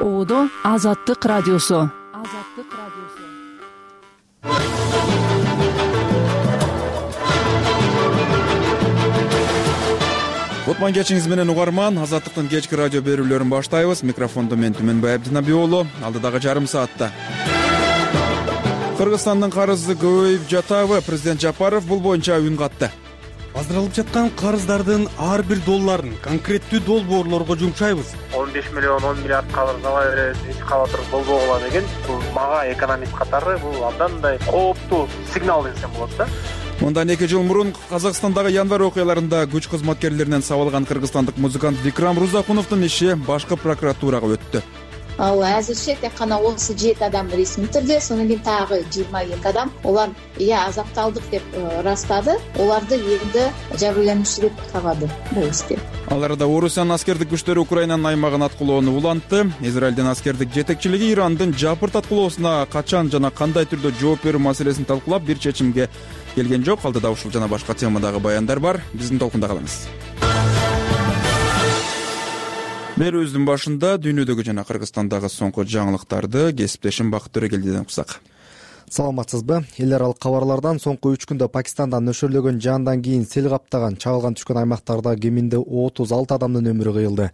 Оодо Азаттык радиосу. Кутман кечиңиз менен угарман. Азаттыктын кечки радио берүүлөрүн баштайбыз. Микрофондо мен Түмөнбай Абдинабий уулу. Алдыдагы жарым саатта Кыргызстандын карызы көбөйүп жатабы? Президент Жапаров бул боюнча үн катты. Аздырылып жаткан карыздардын ар бир долларын конкреттүү долбоорлорго жумшайбыз. 15 миллион 10 миллиард карыз ала беребиз, эч калатыр болбогула деген бул мага экономист катары бул абдан мындай кооптуу сигнал десем болот да. Мындан 2 жыл мурун Казакстандагы январь окуяларында күч кызматкерлеринен сабалган кыргызстандык музыкант Викрам Рузакуновдун иши башкы прокуратурага өттү. Ал азырча тек гана 37 адам ресми түрдө, сонун кийин тагы 22 адам олар азапталдык деп ырастады. Оларды эми жабырлануучу деп табады бул ишти. Ал арада Орусиянын аскердик күчтөрү Украинанын аймагын аткылоону улантты. Израилдин аскердик жетекчилиги Ирандын жапырт аткылоосуна качан жана кандай түрдө жооп берүү маселесин талкуулап бир чечимге келген жок. Алдыда ушул жана башка темадагы баяндар бар. Биздин толкунда калыңыз. Берүүбүздүн башында дүйнөдөгү жана Кыргызстандагы соңку жаңылыктарды кесиптешим Бакыт Төрөгелдиден уксак. Саламатсызбы? Эл аралык кабарлардан соңку 3 күндө Пакистандан нөшөрлөгөн жаандан кийин сел каптаган чагылган түшкөн аймактарда кеминде 36 адамдын өмүрү кыйылды.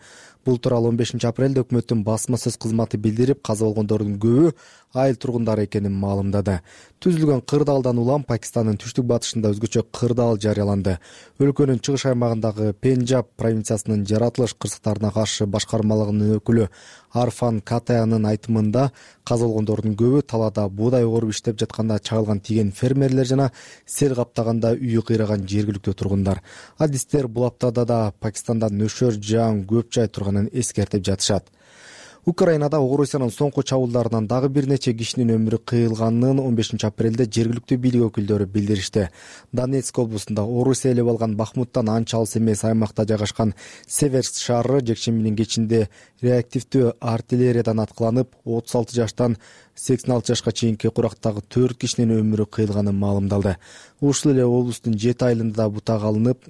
Бул тууралуу 15 апрелде өкмөттүн басма сөз кызматы билдирип, каза болгондордун көбү айыл тургундары экенин маалымдады. Түзүлгөн кырдаалдан улам Пакистандын түштүк батышында өзгөчө кырдаал жарыяланды. Өлкөнүн чыгыш аймагындагы Пенджаб провинциясынын жаратылыш кырсыктарына каршы башкармалыгынын өкүлү Арфан Катаянын айтымында каза болгондордун көбү талаада буудай оруп иштеп жатканда чагылган тиген фермерлер жана сел каптаганда үйү кыйраган жергиликтүү тургундар. Адистер бул аптада да Пакистанда нөшөр жаан көп жай турганын эскертип жатышат. Украинада Орусиянын соңку чабуулдарынан дагы бир нече кишинин өмүрү кыйылганын 15 апрелде жергиликтүү бийлик өкүлдөрү билдиришти. Донецк облусунда Орусия ээлеп алган Бахмуттан анча алыс эмес аймакта жайгашкан Северск шаары жекшембинин кечинде реактивдүү артиллериядан аткыланып, 36 жаштан 86 жашка чейинки курактагы 4 кишинин өмүрү кыйылганы маалымдалды. Ушул эле облустун 7 айылында бута калынып,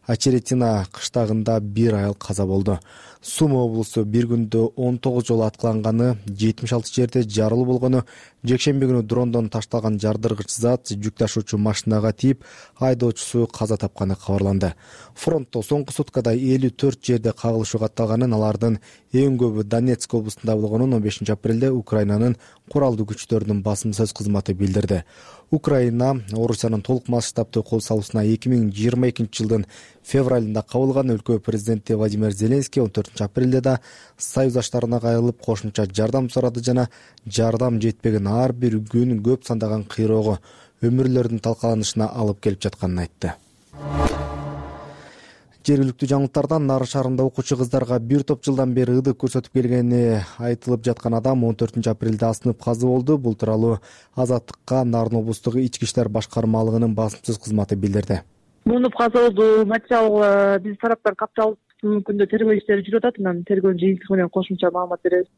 Ачеретина кыштагында бир айыл каза болду. Сума облусу бир күндө 19 жолу аткыланганы, 76 жерде жарылуу болгону, жекшемби күнү дрондон ташталган жардыргыч зат жүк ташуучу машинага тийип, айдоочусу каза тапканы кабарланды. Фронтто соңку суткада 54 жерде кагылышуу катталганын, алардын эң көбү Донецк облусунда болгонун 15 апрелде Украинанын куралдуу күчтөрүнүн басым сөз кызматы билдирди. Украина Орусиянын толук масштабтуу кол салуусуна 2022 жылдын февралында кабылган. Өлкө президенти Владимир Зеленский 14 апрелде да союздаштарына кайрылып кошумча жардам сурады жана жардам жетпеген ар бир күн көп сандаган кыйроого, өмүрлөрдүн талкаланышына алып келип жатканын айтты. Жергиликтүү жаңылыктардан Нары шаарында окуучу кыздарга бир топ жылдан бери ылдык көрсөтүп келгени айтылып жаткан адам 14 апрелде асынып каза болду. Бул тууралуу Азаттыкка Нарын облустук ички иштер башкармалыгынын басым сөз кызматы билдирди. Муну каза болду. Материал биз тараптан капталып күндө тергөө иштери жүрүп атат. Анан тергөөнүн жыйынтыгы менен кошумча маалымат беребиз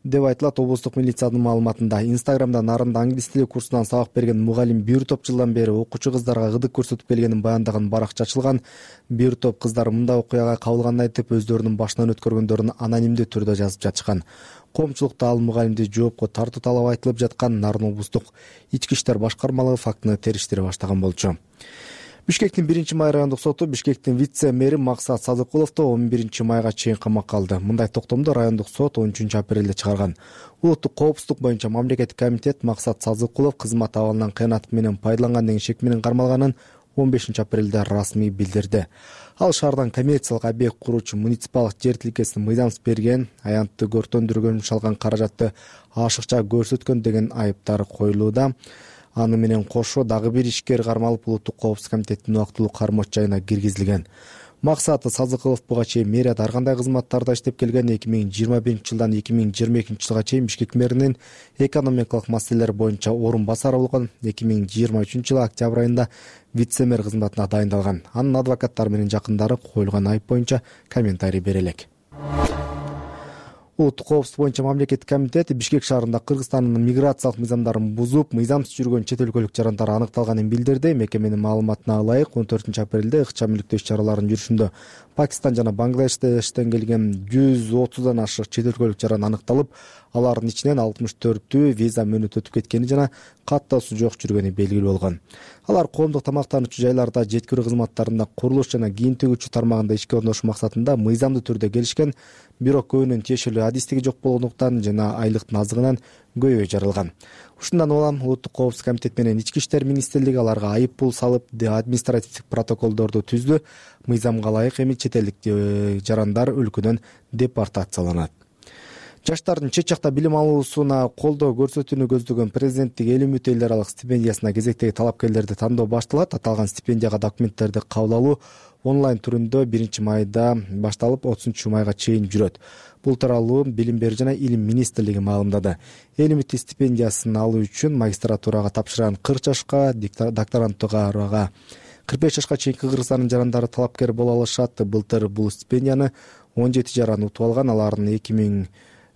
деп айтылат облустук милициянын маалыматында. Инстаграмда Нарында англис тили курсунан сабак берген мугалим бир топ жылдан бери окуучу кыздарга ылдык көрсөтүп келгенин баяндаган баракча ачылган. Бир топ кыздар мындай окуяга кабылганын айтып, өздөрүнүн башынан өткөргөндөрүн анонимдүү түрдө жазып жатышкан. Коомчулукта ал мугалимди жоопко тартуу талабы айтылып жаткан. Нарын облустук ички иштер башкармалыгы фактыны териштире баштаган болчу. Бишкектин 1-май райондук соту Бишкектин вице-мэри Максат Садыкуловду 11 майга чейин камакка алды. Мындай токтомду райондук сот 13 апрелде чыгарган. Улуттук коопсуздук боюнча мамлекеттик комитет Максат Садыкулов кызмат абалынан кыянат менен пайдаланган деген шек менен кармалганын 15 апрелде расмий билдирди. Ал шаардан коммерциялык объект куруучу муниципалдык жер тилкесин мыйзамсыз берген, аянтты көртөндүргөн, шалган каражатты ашыкча көрсөткөн деген айыптар коюлууда. Аны менен кошо дагы бир ишкер кармалып улуттук коопсуздук комитетинин убактылуу кармоочу жайына киргизилген. Максаты Садыкулов буга чейин мэрияда ар кандай кызматтарда иштеп келген. 2021 жылдан 2022 жылга чейин Бишкек мэринин экономикалык маселелер боюнча орун басары болгон. 2023 жылы октябрь айында вице-мэр кызматына дайындалган. Анын адвокаттары менен жакындары коюлган айып боюнча комментарий бере элек. Улуттук коопсуздук боюнча мамлекеттик комитет Бишкек шаарында Кыргызстандын миграциялык мыйзамдарын бузуп, мыйзамсыз жүргөн чет өлкөлүк жарандар аныкталганын билдирди. Мекеменин маалыматына ылайык 14-апрелде ыкчам иликтөө иш-чараларынын жүрүшүндө Пакистан жана Бангладештен келген 130дан ашык чет өлкөлүк жаран аныкталып, алардын ичинен 64-түү виза мөөнөтү өтүп кеткени жана каттоосу жок жүргөнү белгилүү болгон. Алар коомдук тамактануучу жайларда, жеткирүү кызматтарында, курулуш жана кийим тигүүчү тармагында ишке орношуу максатында мыйзамдуу түрдө келишкен, бирок көбүнүн тиешелүү адистиги жок болгондуктан жана айлыктын азыгынан көйгөй жаралган. Ушундан улам Улуттук коопсуздук комитет менен Ички иштер министрлиги аларга айып пул салып, административдик протоколдорду түздү. Мыйзамга ылайык эми чет элдик жарандар өлкөдөн депортацияланат. Жаштардын чет жакта билим алуусуна колдоо көрсөтүүнү көздөгөн президенттик эл үмүтү эл аралык стипендиясына кезектеги талапкерлерди тандоо башталат. Аталган стипендияга документтерди кабыл алуу онлайн түрүндө 1-майда башталып 30-майга чейин жүрөт. Бул тууралуу Билим берүү жана Илим министрлиги маалымдады. Эл үмүтү стипендиясын алуу үчүн магистратурага тапшырган 40 жашка, докторантурага 45 жашка чейинки Кыргызстандын жарандары талапкер боло алышат. Былтыр бул стипендияны 17 жаран утуп алган. Алардын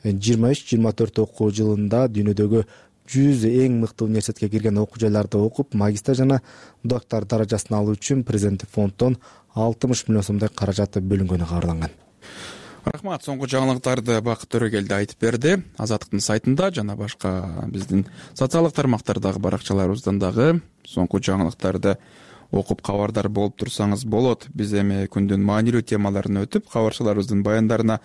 2023-24 окуу жылында дүйнөдөгү 100 эң мыкты университетке кирген окуу жайларда окуп, магистр жана доктор даражасын алуу үчүн президенттик фонддон 60 миллион сомдой каражат бөлүнгөнү кабарланган. Рахмат. Соңку жаңылыктарды Бакыт Төрөгелди айтып берди. Азаттыктын сайтында жана башка биздин социалдык тармактардагы баракчаларыбыздан дагы соңку жаңылыктарды окуп кабардар болуп турсаңыз болот. Биз эми күндүн маанилүү темаларына өтүп, кабарчыларыбыздын баяндарына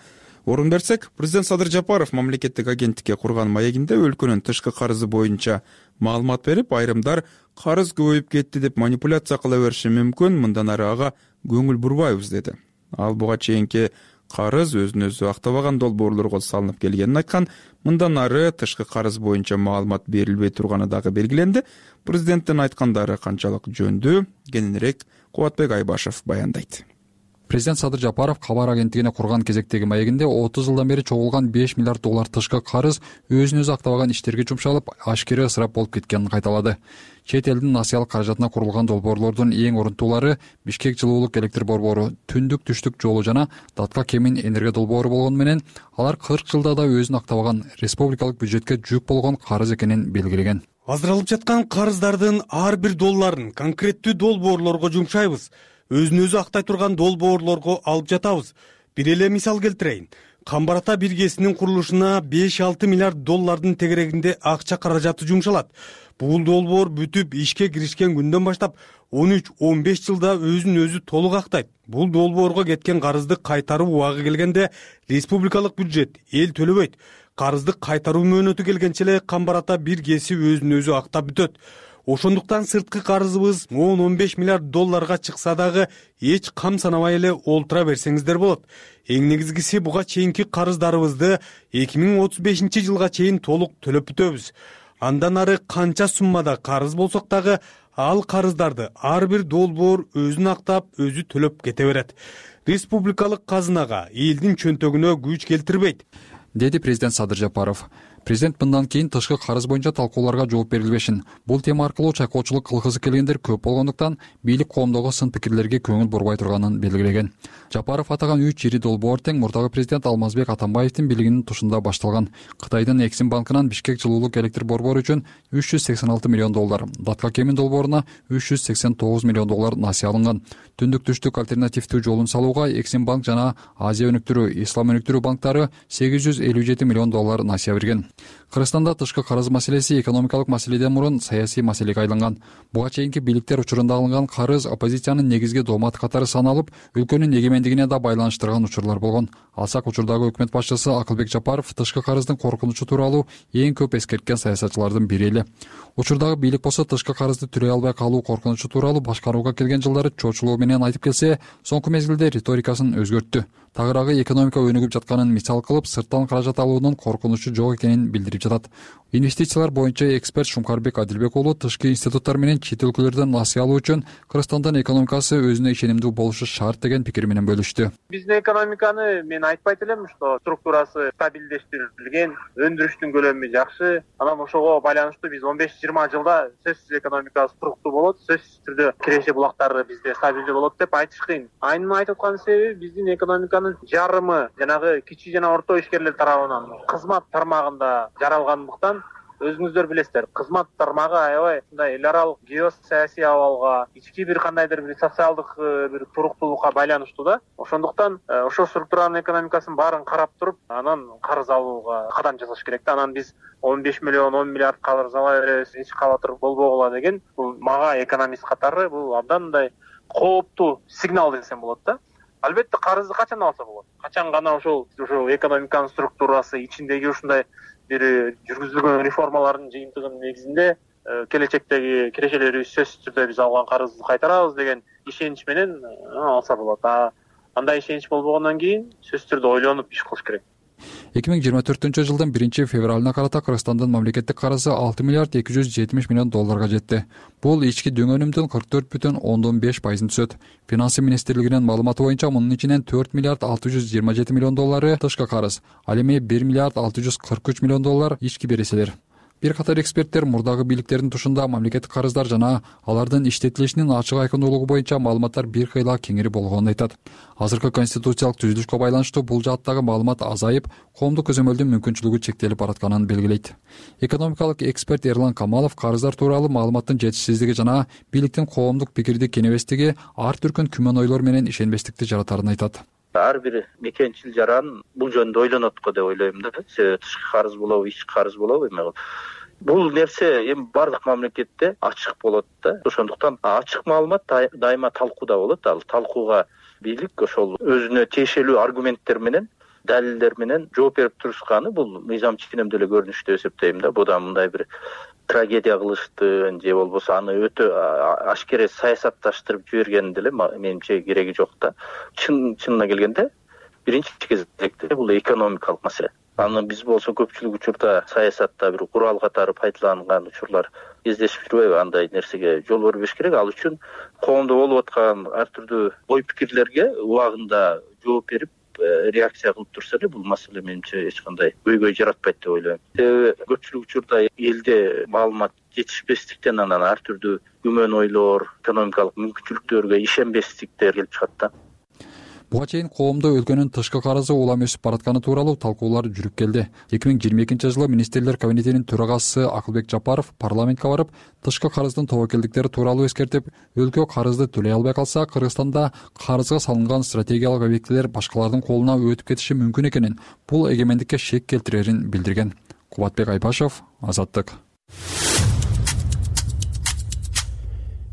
орун берсек, президент Садыр Жапаров мамлекеттик агенттикке курган маегинде өлкөнүн тышкы карызы боюнча маалымат берип, айрымдар карыз көбөйүп кетти деп манипуляция кыла бериши мүмкүн, мындан ары ага көңүл бурбайбыз деди. Ал буга чейинки карыз өзүн өзү актабаган долбоорлорго салынып келгенин айткан. Мындан ары тышкы карыз боюнча маалымат берилбей турганы дагы белгиленди. Президенттин айткандары канчалык жөндүү? Кененирээк Кубатбек Айбашев баяндайт. Президент Садыр Жапаров кабар агенттигине курган кезектеги маегинде 30 жылдан бери чогулган 5 миллиард доллар тышкы карыз өзүн өзү актабаган иштерге жумшалып, ашкере ысырап болуп кеткенин кайталады. Чет элдин насыялык каражатына курулган долбоорлордун эң орунтуулары Бишкек жылуулук электр борбору, түндүк-түштүк жолу жана Датка Кемин энергия долбоору болгону менен алар 40 жылда да өзүн актабаган республикалык бюджетке жүк болгон карыз экенин белгилеген. Аздыралып жаткан карыздардын ар бир долларын конкреттүү долбоорлорго жумшайбыз. Өзүн өзү актай турган долбоорлорго алып жатабыз. Бир эле мисал келтирейин. Камбар ата биргесинин курулушуна 5-6 миллиард доллардын тегерегинде акча каражаты жумшалат. Бул долбоор бүтүп ишке киришкен күндөн баштап 13-15 жылда өзүн өзү толук актайт. Бул долбоорго кеткен карызды кайтаруу убагы келгенде республикалык бюджет эл төлөбөйт. Карызды кайтаруу мөөнөтү келгенче эле Камбар ата биргеси өзүн өзү актап бүтөт. Ошондуктан сырткы карызыбыз 10-15 миллиард долларга чыкса дагы эч кам санабай эле олтура берсеңиздер болот. Эң негизгиси буга чейинки карыздарыбызды 2035 жылга чейин толук төлөп бүтөбүз. Андан ары канча суммада карыз болсок дагы ал карыздарды ар бир долбоор өзүн актап, өзү төлөп кете берет. Республикалык казынага, элдин чөнтөгүнө күч келтирбейт, деди президент Садыр Жапаров. Президент мындан кийин тышкы карыз боюнча талкууларга жооп берилбешин. Бул тема аркылуу чайкоочулук кылгысы келгендер көп болгондуктан бийлик коомдогу сын пикирлерге көңүл бурбай турганын белгилеген. Жапаров атаган 3 ири долбоор тең мурдагы президент Алмазбек Атамбаевдин бийлигинин тушунда башталган. Кытайдын Эксим банкынан Бишкек жылуулук электр борбору үчүн 386 миллион доллар, Датка Кемин долбооруна 389 миллион доллар насыя алынган. Түндүк-түштүк альтернативдүү жолун салууга Эксим банк жана Азия өнүктүрүү, Ислам өнүктүрүү банктары 857 миллион доллар насыя берген. Кыргызстанда тышкы карыз маселеси экономикалык маселеден мурун саясий маселеге айланган. Буга чейинки бийликтер учурунда алынган карыз оппозициянын негизги дооматы катары саналып, өлкөнүн эгемендигине да байланыштырган учурлар болгон. Алсак учурдагы өкмөт башчысы Акылбек Жапаров тышкы карыздын коркунучу тууралуу эң көп эскерткен саясатчылардын бири эле. Учурдагы бийлик болсо тышкы карызды түрөй албай калуу коркунучу тууралуу башкарууга келген жылдары чочулуу менен айтып келсе, соңку мезгилде риторикасын өзгөрттү. Тагыраагы экономика өнүгүп жатканын мисал кылып, сырттан каражат алуунун коркунучу жок экенин билдирди. берип жатат. Инвестициялар боюнча эксперт Шумкарбек Адилбек уулу тышкы институттар менен чет өлкөлөрдөн насыя алуу үчүн Кыргызстандын экономикасы өзүнө ишенимдүү болушу шарт деген пикир менен бөлүштү. Биздин экономиканы мен айтпайт элем, что структурасы стабилдештирилген, өндүрүштүн көлөмү жакшы. Анан ошого байланыштуу биз 15-20 жылда сөзсүз экономика структур болот, сөзсүз түрдө киреше булактары бизде стабилдүү болот деп айтыш кыйын. Айнын айтып аткан себеби биздин экономиканын жарымы жанагы кичи жана орто ишкерлер тарабынан кызмат тармагында жаралгандыктан, өзүңүздөр билесиздер, кызмат тармагы аябай мындай эл аралык геосаясий абалга, ички бир кандайдыр бир социалдык бир туруктуулукка байланыштуу да. Ошондуктан ошол структуранын экономикасын баарын карап туруп, анан карыз алууга кадам жасаш керек да. Анан биз 15 миллион, 10 миллиард карыз ала беребиз, эч калатыр болбогула деген, бул мага экономист катары бул абдан мындай кооптуу сигнал десем болот да. Албетте карызды качан алса болот? Качан гана ошол экономиканын структурасы ичиндеги ушундай бир жүргүзүлгөн реформалардын жыйынтыгынын негизинде келечектеги кирешелерибиз сөзсүз түрдө биз алган карызды кайтарабыз деген ишенич менен алса болот. Андай ишенич болбогондон кийин сөзсүз түрдө ойлонуп иш кылыш керек. 2024-жылдын 1-февралына карата Кыргызстандын мамлекеттик карызы 6 миллиард 270 миллион долларга жетти. Бул ички дөңөнүмдүн 44,5% түзөт. Финансы министрлигинин маалыматы боюнча мунун ичинен 4 миллиард 627 миллион доллары тышкы карыз, ал эми 1 миллиард 643 миллион доллар ички береселер. Бир катар эксперттер мурдагы бийликтердин тушунда мамлекеттик карыздар жана алардын иштетилишинин ачык айкындуулугу боюнча маалыматтар бир кыйла кеңири болгонун айтат. Азыркы конституциялык түзүлүшкө байланыштуу бул жааттагы маалымат азайып, коомдук көзөмөлдүн мүмкүнчүлүгү чектелип баратканын белгилейт. Экономикалык эксперт Эрлан Камалов карыздар тууралуу маалыматтын жетишсиздиги жана бийликтин коомдук пикирди кенебестиги ар түркүн күмөн ойлор менен ишенбестикти жаратарын айтат. Ар бир мекенчил жаран бул жөнүндө ойлонот го деп ойлойм да. Тышкы карыз болобу, ички карыз болобу эми. Бул нерсе эми бардык мамлекетте ачык болот да. Ошондуктан ачык маалымат дайыма талкууда болот. Ал талкууга бийлик ошол өзүнө тиешелүү аргументтер менен, далилдер менен жооп берип турушканы бул мыйзам ченемдүү эле көрүнүш деп эсептейм да. Будан мындай бир трагедия кылыштын же болбосо аны өтө ашкере саясатташтырып жибергенин деле менимче кереги жок да. Чынына келгенде биринчи кезекте бул экономикалык маселе. Аны биз болсо көпчүлүк учурда саясатта бир курал катары пайдаланган учурлар кездешип жүрбөйбү? Андай нерсеге жол бербеш керек. Ал үчүн коомдо болуп аткан ар түрдүү ой пикирлерге убагында жооп берип реакция кылып турса эле бул маселе менимче эч кандай көйгөй жаратпайт деп ойлойм. Себеби көпчүлүк учурда элде маалымат жетишпестиктен анан ар түрдүү күмөн ойлор, экономикалык мүмкүнчүлүктөргө ишенбестиктер келип чыгат да. Буга чейин коомдо өлкөнүн тышкы карызы улам өсүп баратканы тууралуу талкуулар жүрүп келди. 2022-жылы министрлер кабинетинин төрагасы Акылбек Жапаров парламентке барып, тышкы карыздын тобокелдиктери тууралуу эскертип, өлкө карызды төлөй албай калса, Кыргызстанда карызга салынган стратегиялык объектилер башкалардын колуна өтүп кетиши мүмкүн экенин, бул эгемендикке шек келтирерин билдирген. Кубатбек Айбашев, Азаттык.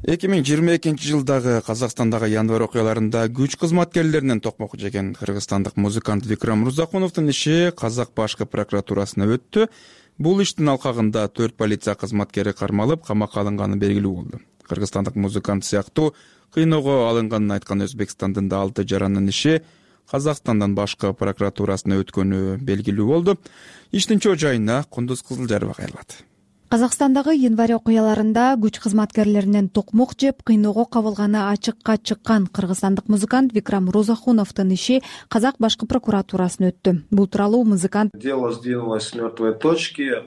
2022-жылдагы Казакстандагы январь окуяларында күч кызматкерлеринен токмок жеген кыргызстандык музыкант Викрам Рузахуновдун иши Казак башкы прокуратурасына өттү. Бул иштин алкагында 4 полиция кызматкери кармалып, камакка алынганы белгилүү болду. Кыргызстандык музыкант сыяктуу кыйноого алынганын айткан Өзбекстандын да 6 жарандын иши Казакстандын башкы прокуратурасына өткөнү белгилүү болду. Иштин чоо жайына Кундуз Кызылжарова кайрылат. Казакстандагы январь окуяларында күч кызматкерлеринен токмок жеп кыйноого кабылганы ачыкка чыккан кыргызстандык музыкант Викрам Рузахуновдун иши Казак башкы прокуратурасына өттү. Бул тууралуу музыкант дело сдвинулось с мертвой точки.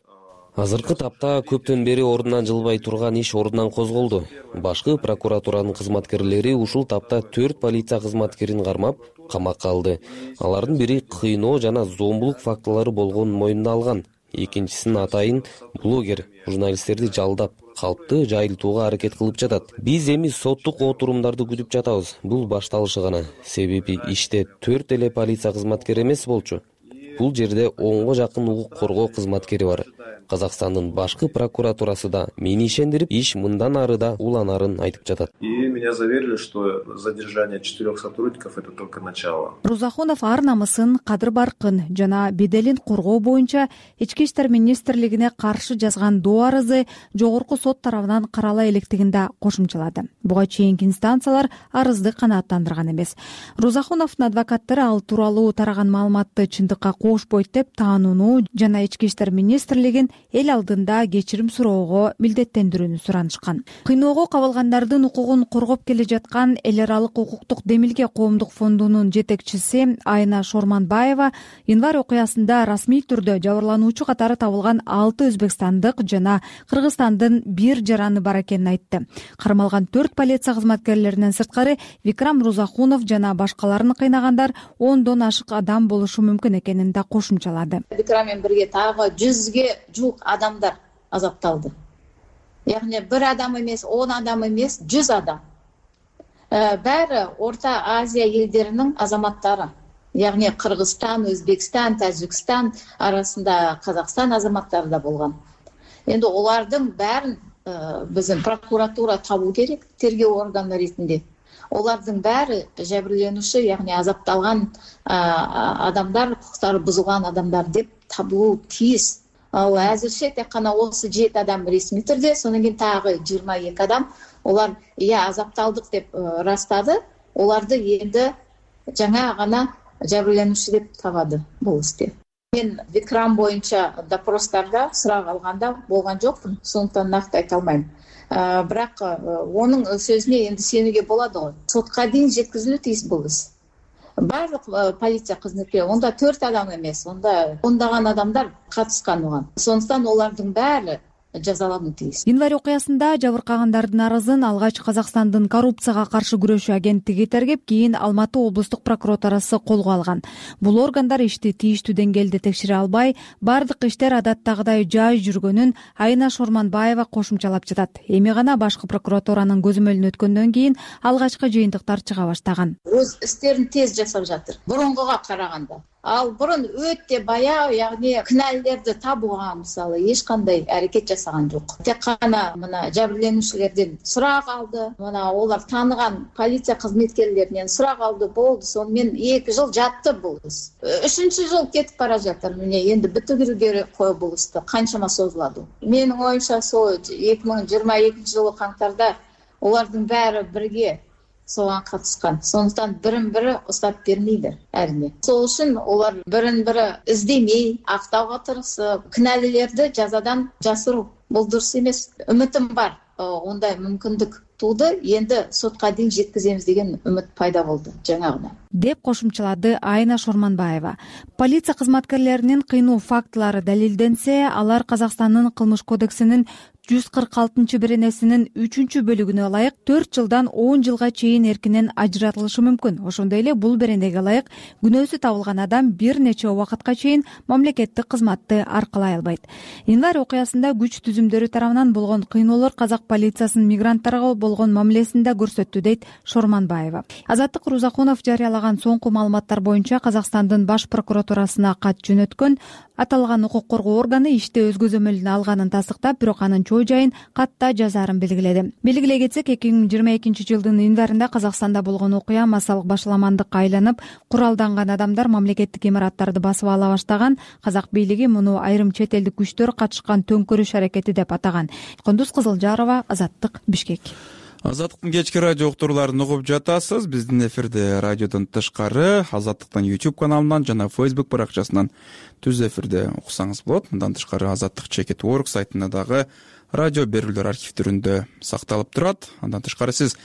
Азыркы тапта көптөн бери ордунан жылбай турган иш ордунан козголду. Башкы прокуратуранын кызматкерлери ушул тапта 4 полиция кызматкерин кармап, камакка алды. Алардын бири кыйноо жана зомбулук фактылары болгонун мойнуна алган. Экинчисинин атайын блогер журналисттерди жалдап, калпты жайылтууга аракет кылып жатат. Биз эми соттук отурумдарды күтүп жатабыз. Бул башталышы гана. Себеби иште 4 эле полиция кызматкери эмес болчу. Бул жерде 10го жакын укук коргоо кызматкери бар. Казакстандын башкы прокуратурасы да мени ишендирип, иш мындан ары да уланарын айтып жатат. И меня заверили, что задержание 4 сотрудников это только начало. Рузахунов ар намысын, кадыр баркын жана беделин коргоо боюнча Ички иштер министрлигине каршы жазган доо арызы жогорку сот тарабынан карала электигин да кошумчалады. Буга чейинки инстанциялар арызды канааттандырган эмес. Рузахуновдун адвокаттары ал тууралуу тараган маалыматты чындыкка кошпойт деп таанууну жана ички иштер министрлигин эл алдында кечирим суроого милдеттендирүүнү суранышкан. Кыйноого кабылгандардын укугун коргоп келе жаткан эл аралык укуктук демилге коомдук фондунун жетекчиси Айна Шорманбаева январь окуясында расмий түрдө жабырлануучу катары табылган 6 өзбекстандык жана Кыргызстандын 1 жараны бар экенин айтты. Кармалган 4 полиция кызматкерлеринен сырткары Викрам Рузахунов жана башкаларын кыйнагандар 10дон ашык адам болушу мүмкүн экенин да кошумчалады. Викрам менен бирге тагы 100ге жук адамдар азапталды. Яғни 1 адам эмес, 10 адам эмес, 100 адам. Баары Орта Азия элдеринин азаматтары. Яғни Кыргызстан, Өзбекстан, Тажикстан арасында Казакстан азаматтары да болгон. Энди олардын баарын биздин прокуратура табуу керек, тергөө органы ретинде. Олардын баары жабырленүүчү, яғни азапталган адамдар, укуктары бузулган адамдар деп табылуу тийиз. Ал азырча тек гана осы 7 адам ресми түрдө, сонун кийин тагы 22 адам олар азапталдык деп ырастады. Оларды энди жаңа гана жабырленүүчү деп табады бул исте. Мен Викрам боюнча допростарда сурак алганда болгон жокмун, сондуктан накты айта алмайм. Бирок онун сөзүнө энди сенүүгө болот го. Сотко дейин жеткизилүү тийиз бул иш. Барлык полиция кызматкерлери, онда 4 адам эмес, онда ондаган адамдар катышкан оған. Сондуктан олардын баары жазалануу тийиз. Январь окуясында жабыркагандардын арызын алгач Казакстандын коррупцияга каршы күрөшүү агенттиги тергеп, кийин Алматы облустук прокуратурасы колго алган. Бул органдар ишти тийиштүү деңгээлде текшере албай, бардык иштер адаттагыдай жай жүргөнүн Айна Шорманбаева кошумчалап жатат. Эми гана башкы прокуратуранын көзөмөлүнө өткөндөн кийин алгачкы жыйынтыктар чыга баштаган. Өз иштерин тез жасап жатыр. Бурунгуга караганда. Ал бурун өтө баягы, яғни күнәлилерди табууга мисалы эч кандай аракет жасаган жок. Тек гана мына жабырленүүчүлөрдөн сурак алды. Мына олар тааныган полиция кызматкерлеринен сурак алды, болду. Сону мен 2 жыл жатты бул иш. 3-чү жыл кетип бара жатыр. Міне энди бүтүрүү керек кой бул ишти. Канчама созулады. Менин оюмча сол 2022 жылы каңтарда олардын баары бирге соған катышкан. Сондуктан бирин-бири устап бермейдир, әрине. Сол үчүн олар бирин-бири издемей, актауга тырышып, күнәлилерди жазадан жасыруу. Бул дурус эмес. Үмүтүм бар. Ондай мүмкүндүк тууду. Энди сотко дейин жеткизебиз деген үмүт пайда болду жаңагыда. Деп кошумчалады Айна Шорманбаева. Полиция кызматкерлеринин кыйноо фактылары далилденсе, алар Казакстандын кылмыш кодексинин 146-беренесинин 3-бөлүгүнө ылайык 4 жылдан 10 жылга чейин эркинен ажыратылышы мүмкүн. Ошондой эле бул беренеге ылайык күнөөсү табылган адам бир нече убакытка чейин мамлекеттик кызматты аркалай албайт. Январь окуясында күч түзүмдөрү тарабынан болгон кыйноолор казак полициясынын мигранттарга болгон мамилесинде көрсөттү, дейт Шорманбаева. Азаттык Рузахунов жарыялаган соңку маалыматтар боюнча Казакстандын баш прокуратурасына кат жөнөткөн. Аталган укук коргоо органы иште өз көзөмөлүнө алганын тастыктап, бирок анын жайын катта жазаарын белгиледи. Белгилей кетсек, 2022 жылдын январында Казакстанда болгон окуя массалык башаламандыкка айланып, куралданган адамдар мамлекеттик имараттарды басып ала баштаган. Казак бийлиги муну айрым чет элдик күчтөр катышкан төңкөрүш аракети деп атаган. Кондуз Кызылжарова, Азаттык, Бишкек. Азаттыктын кечки радио уктурууларын угуп жатасыз. Биздин эфирде радиодон тышкары Азаттыктын YouTube каналынан жана Facebook баракчасынан түз эфирде уксаңыз болот. Мындан тышкары Азаттык.org сайтында дагы радио берүүлөр архивдеринде сакталып турат. Андан тышкары сиз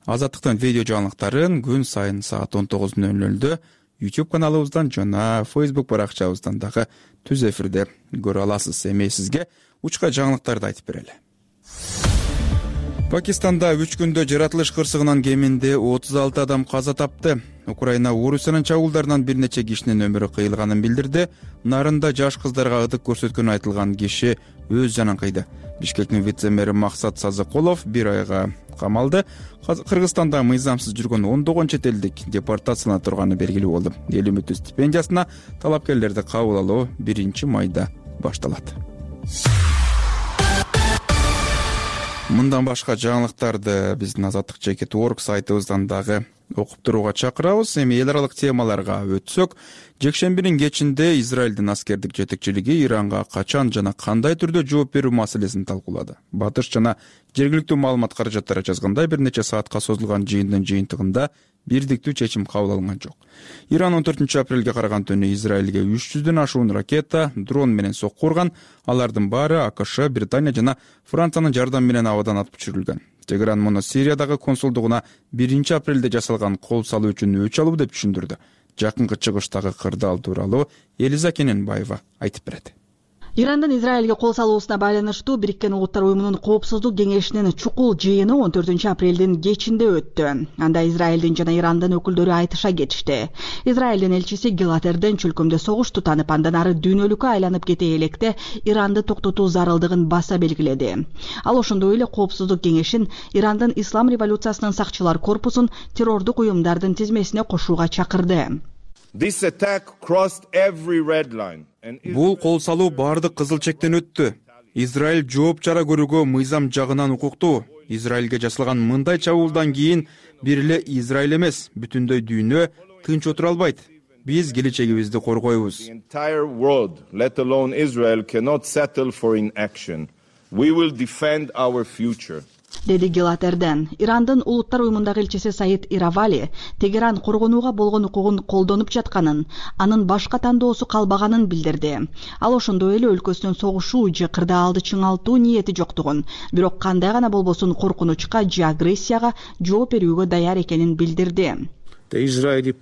Азаттыктын видео жаңылыктарын күн сайын саат 19:00 YouTube каналыбыздан жана Facebook баракчабыздан дагы түз эфирде көрө аласыз. Эми сизге учка жаңылыктарды айтып берели. Пакистанда 3 күндө жаратылыш кырсыгынан кеминде 36 адам каза тапты. Украина Орусиянын чабуулдарынан бир нече кишинин өмүрү кыйылганын билдирди. Нарында жаш кыздарга ытык көрсөткөнү айтылган киши өз жанын кыйды. Бишкектин вице-мэри Максат Сазыкулов 1 айга камалды. Кыргызстанда мыйзамсыз жүргөн 10 чет элдик депортациялана турганы белгилүү болду. Эл үмүтү стипендиясына талапкерлерди кабыл алуу 1 майда башталат. Мындан башка жаңылыктарды биздин Азаттык.org сайтыбыздан дагы окуп турууга чакырабыз. Эми эл аралык темаларга өтсөк, жекшембинин кечинде Израилдин аскердик жетекчилиги Иранга качан жана кандай түрдө жооп берүү маселесин талкуулады. Батыш жана жергиликтүү маалымат каражаттары жазгандай, бир нече саатка созулган жыйындын жыйынтыгында бирдиктүү чечим кабыл алынган жок. Иран 14 апрелге караган түнү Израилге 300дөн ашуун ракета, дрон менен сокку урган. Алардын баары АКШ, Британия жана Франциянын жардамы менен абадан атып түшүрүлгөн. Тегеран муну Сириядагы консулдугуна 1 апрелде жасалган кол салуу үчүн өч алуу деп түшүндүрдү. Жакынкы чыгыштагы кырдаал тууралуу Элиза Кененбаева айтып берет. Ирандын Израилге кол салуусуна байланыштуу Бириккен Улуттар Уюмунун Коопсуздук кеңешинин чукул жыйыны 14 апрелдин кечинде өттү. Анда Израилдин жана Ирандын өкүлдөрү айтыша кетишти. Израилдин элчиси Гилатерден чөлкөмдө согуш тутанып, андан ары дүйнөлүккө айланып кете электе Иранды токтотуу зарылдыгын баса белгиледи. Ал ошондой эле Коопсуздук кеңешин Ирандын Ислам революциясынын сакчылар корпусун террордук уюмдардын тизмесине кошууга чакырды. Бул кол салуу баардык кызыл чектен өттү. Израиль жооп чара көрүүгө мыйзам жагынан укуктуу. Израилге жасалган мындай чабуулдан кийин бир эле Израиль эмес, бүтүндөй дүйнө тынч отура албайт. Биз келечегибизди коргойбуз. Деди Гилатерден. Ирандын Улуттар Уюмундагы элчиси Саид Иравали Тегеран коргонууга болгон укугун колдонуп жатканын, анын башка тандоосу калбаганын билдирди. Ал ошондой эле өлкөсүнүн согушуу же кырдаалды чыңалтуу ниети жоктугун, бирок кандай гана болбосун коркунучка же агрессияга жооп берүүгө даяр экенин билдирди. Израилдин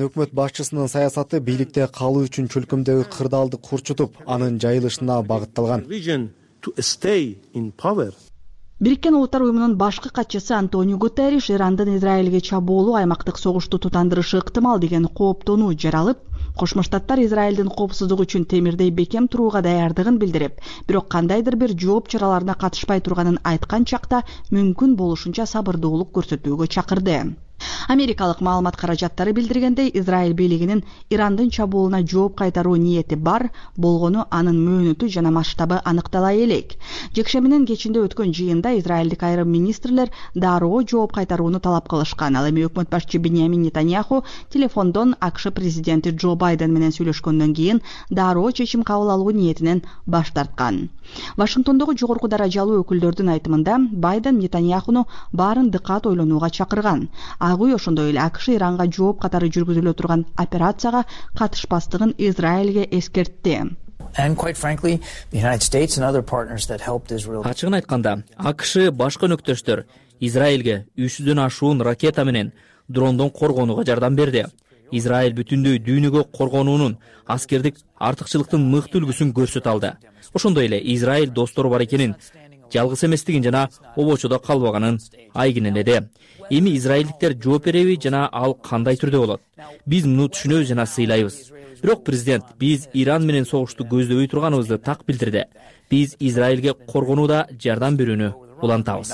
өкмөт башчысынын саясаты бийликте калуу үчүн чөлкөмдөгү кырдаалды курчутуп, анын жайылышына багытталган. Бириккен Улуттар Уюмунун башкы катчысы Антонио Гутерриш Ирандын Израилге чабуулу аймактык согушту тутандырышы ыктымал деген кооптонуу жаралып, Кошмо Штаттар Израилдин коопсуздугу үчүн темирдей бекем турууга даярдыгын билдирип, бирок кандайдыр бир жооп чараларына катышпай турганын айткан чакта мүмкүн болушунча сабырдуулук көрсөтүүгө чакырды. Америкалык маалымат каражаттары билдиргендей, Израиль бийлигинин Ирандын чабуулуна жооп кайтаруу ниети бар, болгону анын мөөнөтү жана масштабы аныктала элек. Жекшембинин кечинде өткөн жыйында израилдик айрым министрлер дароо жооп кайтарууну талап кылышкан. Ал эми өкмөт башчы Биньямин Нетаньяху телефондон АКШ президенти Джо Байден менен сүйлөшкөндөн кийин дароо чечим кабыл алуу ниетинен баш тарткан. Вашингтондогу жогорку даражалуу өкүлдөрдүн айтымында Байден Нетаньяхуну баарын дыкат ойлонууга чакырган. Ак үй ошондой эле АКШ Иранга жооп катары жүргүзүлө турган операцияга катышпастыгын Израилге эскертти. Ачыгын айтканда, АКШ башка өнөктөштөр Израилге 300дөн ашуун ракета менен дрондон коргонууга жардам берди. Израиль бүтүндөй дүйнөгө коргонуунун аскердик артыкчылыктын мыкты үлгүсүн көрсөтө алды. Ошондой эле Израиль достору бар экенин, жалгыз эместигин жана обочодо калбаганын айгинеледи. Эми израилдиктер жооп береби жана ал кандай түрдө болот? Биз муну түшүнөбүз жана сыйлайбыз. Бирок президент биз Иран менен согушту көздөбөй турганыбызды так билдирди. Биз Израилге коргонууда жардам берүүнү улантабыз.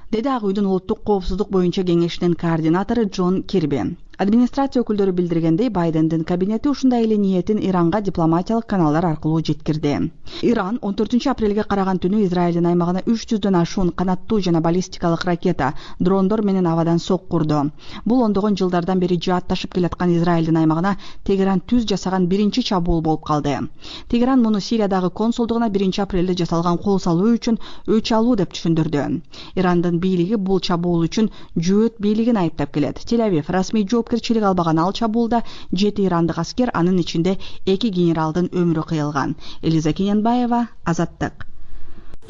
Деди Ак үйдүн улуттук коопсуздук боюнча кеңешинин координатору Джон Кирби. Администрация өкүлдөрү билдиргендей, Байдендин кабинети ушундай эле ниетин Иранга дипломатиялык каналдар аркылуу жеткирди. Иран 14 апрелге караган түнү Израилдин аймагына 300дөн ашуун канаттуу жана баллистикалык ракета, дрондор менен абадан сокку урду. Бул ондогон жылдардан бери жаатташып келаткан Израилдин аймагына Тегеран түз жасаган биринчи чабуул болуп калды. Тегеран муну Сириядагы консулдугуна 1 апрелде жасалган кол салуу үчүн өч алуу деп түшүндүрдү. Ирандын бийлиги бул чабуул үчүн Жөөт бийлигин айыптап келет. Тель-Авив расмий жоопкерчилик албаган ал чабуулда 7 ирандык аскер, анын ичинде 2 генералдын өмүрү кыйылган. Элиза Кененбаева, Азаттык.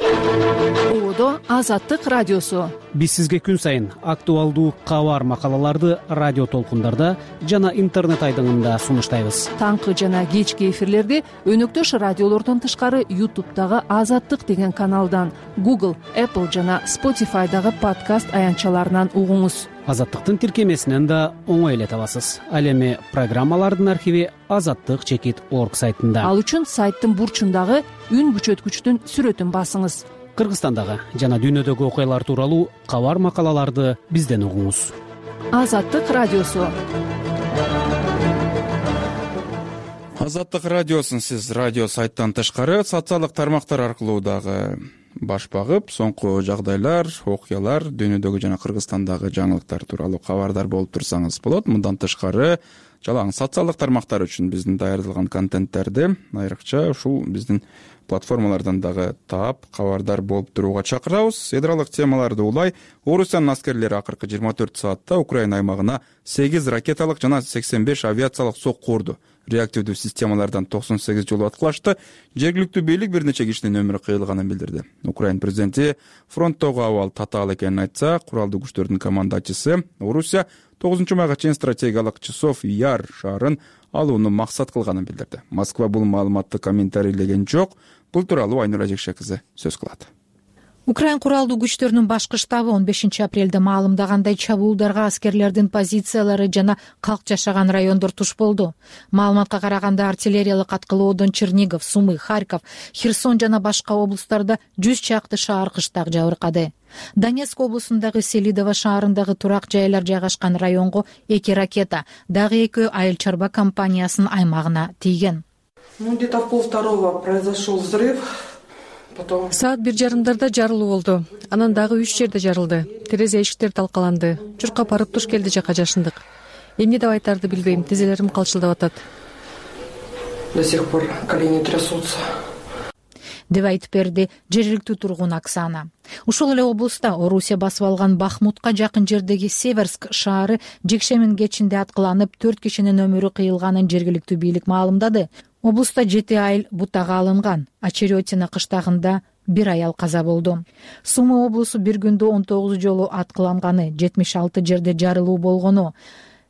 Одо Азаттык радиосу. Биз сизге күн сайын актуалдуу кабар макалаларды радио толкундарда жана интернет айдыңында сунуштайбыз. Таңкы жана кечки эфирлерди өнөктөш радиолордон тышкары YouTube'дагы Азаттык деген каналдан, Google, Apple жана Spotify'дагы подкаст аянтчаларынан угуңуз. Азаттыктын тиркемесинен да оңой эле табасыз. Ал эми программалардын архиви azattik.org сайтында. Ал үчүн сайттын бурчундагы үн күчөткүчтүн сүрөтүн басыңыз. Кыргызстандагы жана дүйнөдөгү окуялар тууралуу кабар макалаларды бизден угуңуз. Азаттык радиосу. Азаттык радиосун сиз радио сайттан тышкары социалдык тармактар аркылуу дагы баш багып, соңку жагдайлар, окуялар, дүйнөдөгү жана Кыргызстандагы жаңылыктар тууралуу кабардар болуп турсаңыз болот. Мындан тышкары жалаң социалдык тармактар үчүн биздин даярдалган контенттерди айрыкча ушул биздин платформалардан дагы таап, кабардар болуп турууга чакырабыз. Ядролук темаларды улай Орусиянын аскерлери акыркы 24 саатта Украина аймагына 8 ракеталык жана 85 авиациялык сокку урду. Реактивдүү системалардан 98 жолу аткылашты. Жергиликтүү бийлик бир нече кишинин өмүрү кыйылганын билдирди. Украина президенти фронттогу абал татаал экенин айтса, куралдуу күчтөрдүн командачысы Орусия 9 майга чейин стратегиялык Часов Яр шаарын алууну максат кылганын билдирди. Москва бул маалыматты комментарийлеген жок. Бул тууралуу Айнура Жекше кызы сөз кылат. Украин куралдуу күчтөрүнүн башкы штабы 15 апрелде маалымдагандай чабуулдарга аскерлердин позициялары жана калк жашаган райондор туш болду. Маалыматка караганда артиллериялык аткылоодон Чернигов, Сумы, Харьков, Херсон жана башка облустарда 100 чакты шаар кыштак жабыркады. Донецк облусундагы Селидово шаарындагы турак жайлар жайгашкан районго 2 ракета, дагы 2 айыл чарба компаниясынын аймагына тийген. Где-то в 1:30 произошел взрыв. Саат 1:30 жарылуу болду. Анан дагы 3 жерде жарылды. Терезе эшиктер талкаланды. Чуркап барып туш келди жака жашындык. Эмне деп айтарды билбейм. Тизелерим калчылдап атат. До сих пор колени трясутся. Деп айтып берди жергиликтүү тургун Оксана. Ушул эле облуста Орусия басып алган Бахмутка жакын жердеги Северск шаары жекшемин кечинде аткыланып 4 кишинин өмүрү кыйылганын жергиликтүү бийлик маалымдады. Облуста 7 айыл бутага алынган. Очеретина кыштагында 1 аял каза болду. Сумы облусу бир күндө 19 жолу аткыланганы, 76 жерде жарылуу болгону,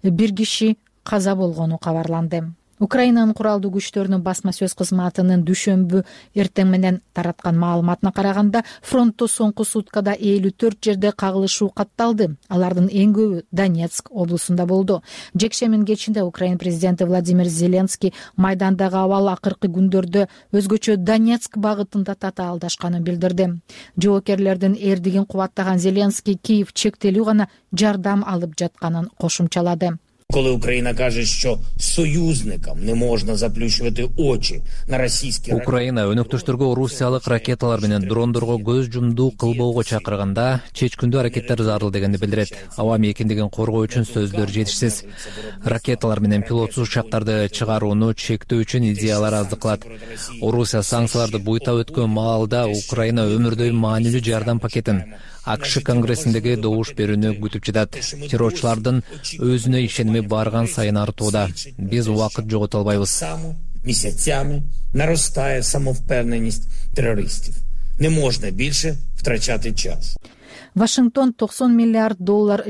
1 киши каза болгону кабарланды. Украинанын куралдуу күчтөрүнүн басма сөз кызматынын дүйшөмбү эртең менен тараткан маалыматына караганда, фронтто соңку суткада 54 жерде кагылышуу катталды. Алардын эң көбү Донецк облусунда болду. Жекшемин кечинде Украина президенти Владимир Зеленский майдандагы абал акыркы күндөрдө өзгөчө Донецк багытында татаалдашканын билдирди. Жоокерлердин эрдигин кубаттаган Зеленский Киев чектелүү гана жардам алып жатканын кошумчалады. Коли Україна каже, що союзникам не можна заплющувати очі на російські Украина өнөктөштөргө орусиялык ракеталар менен дрондорго көз жумдуу кылбоого чакырганда чечкүндүү аракеттер зарыл дегенди билдирет. Аба мейкиндигин коргоо үчүн сөздөр жетишсиз. Ракеталар менен пилотсуз учактарды чыгарууну чектөө үчүн идеялар аздык кылат. Орусия санкцияларды буйтап өткөн маалда Украина өмүрдөй маанилүү жардам пакетин АКШ конгрессиндеги добуш берүүнү күтүп жатат. Террорчулардын өзүнө ишеними барган сайын артууда. Биз убакыт жогото албайбыз. Місяцями наростає самовпевненість терористів. Не можна більше втрачати час. Вашингтон $90 миллиард